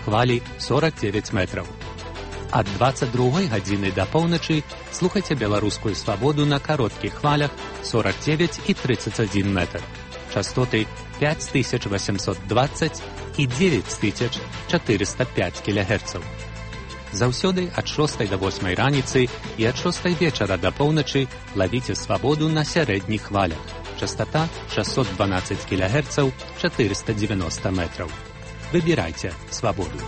Хвалі 49 метраў. Ад 22 гадзіны да поўначы слухайце беларускую свабоду на кароткіх хвалях 49 і 31 метр. Частоты 5820 і 9405 кГц. Заўсёды ад 6 до 8 раніцы і ад 6 вечара да поўначы лавіце свабоду на сярэдніх хвалях. Частота 612 кГц, 490 метраў. Выбірайце свабоду.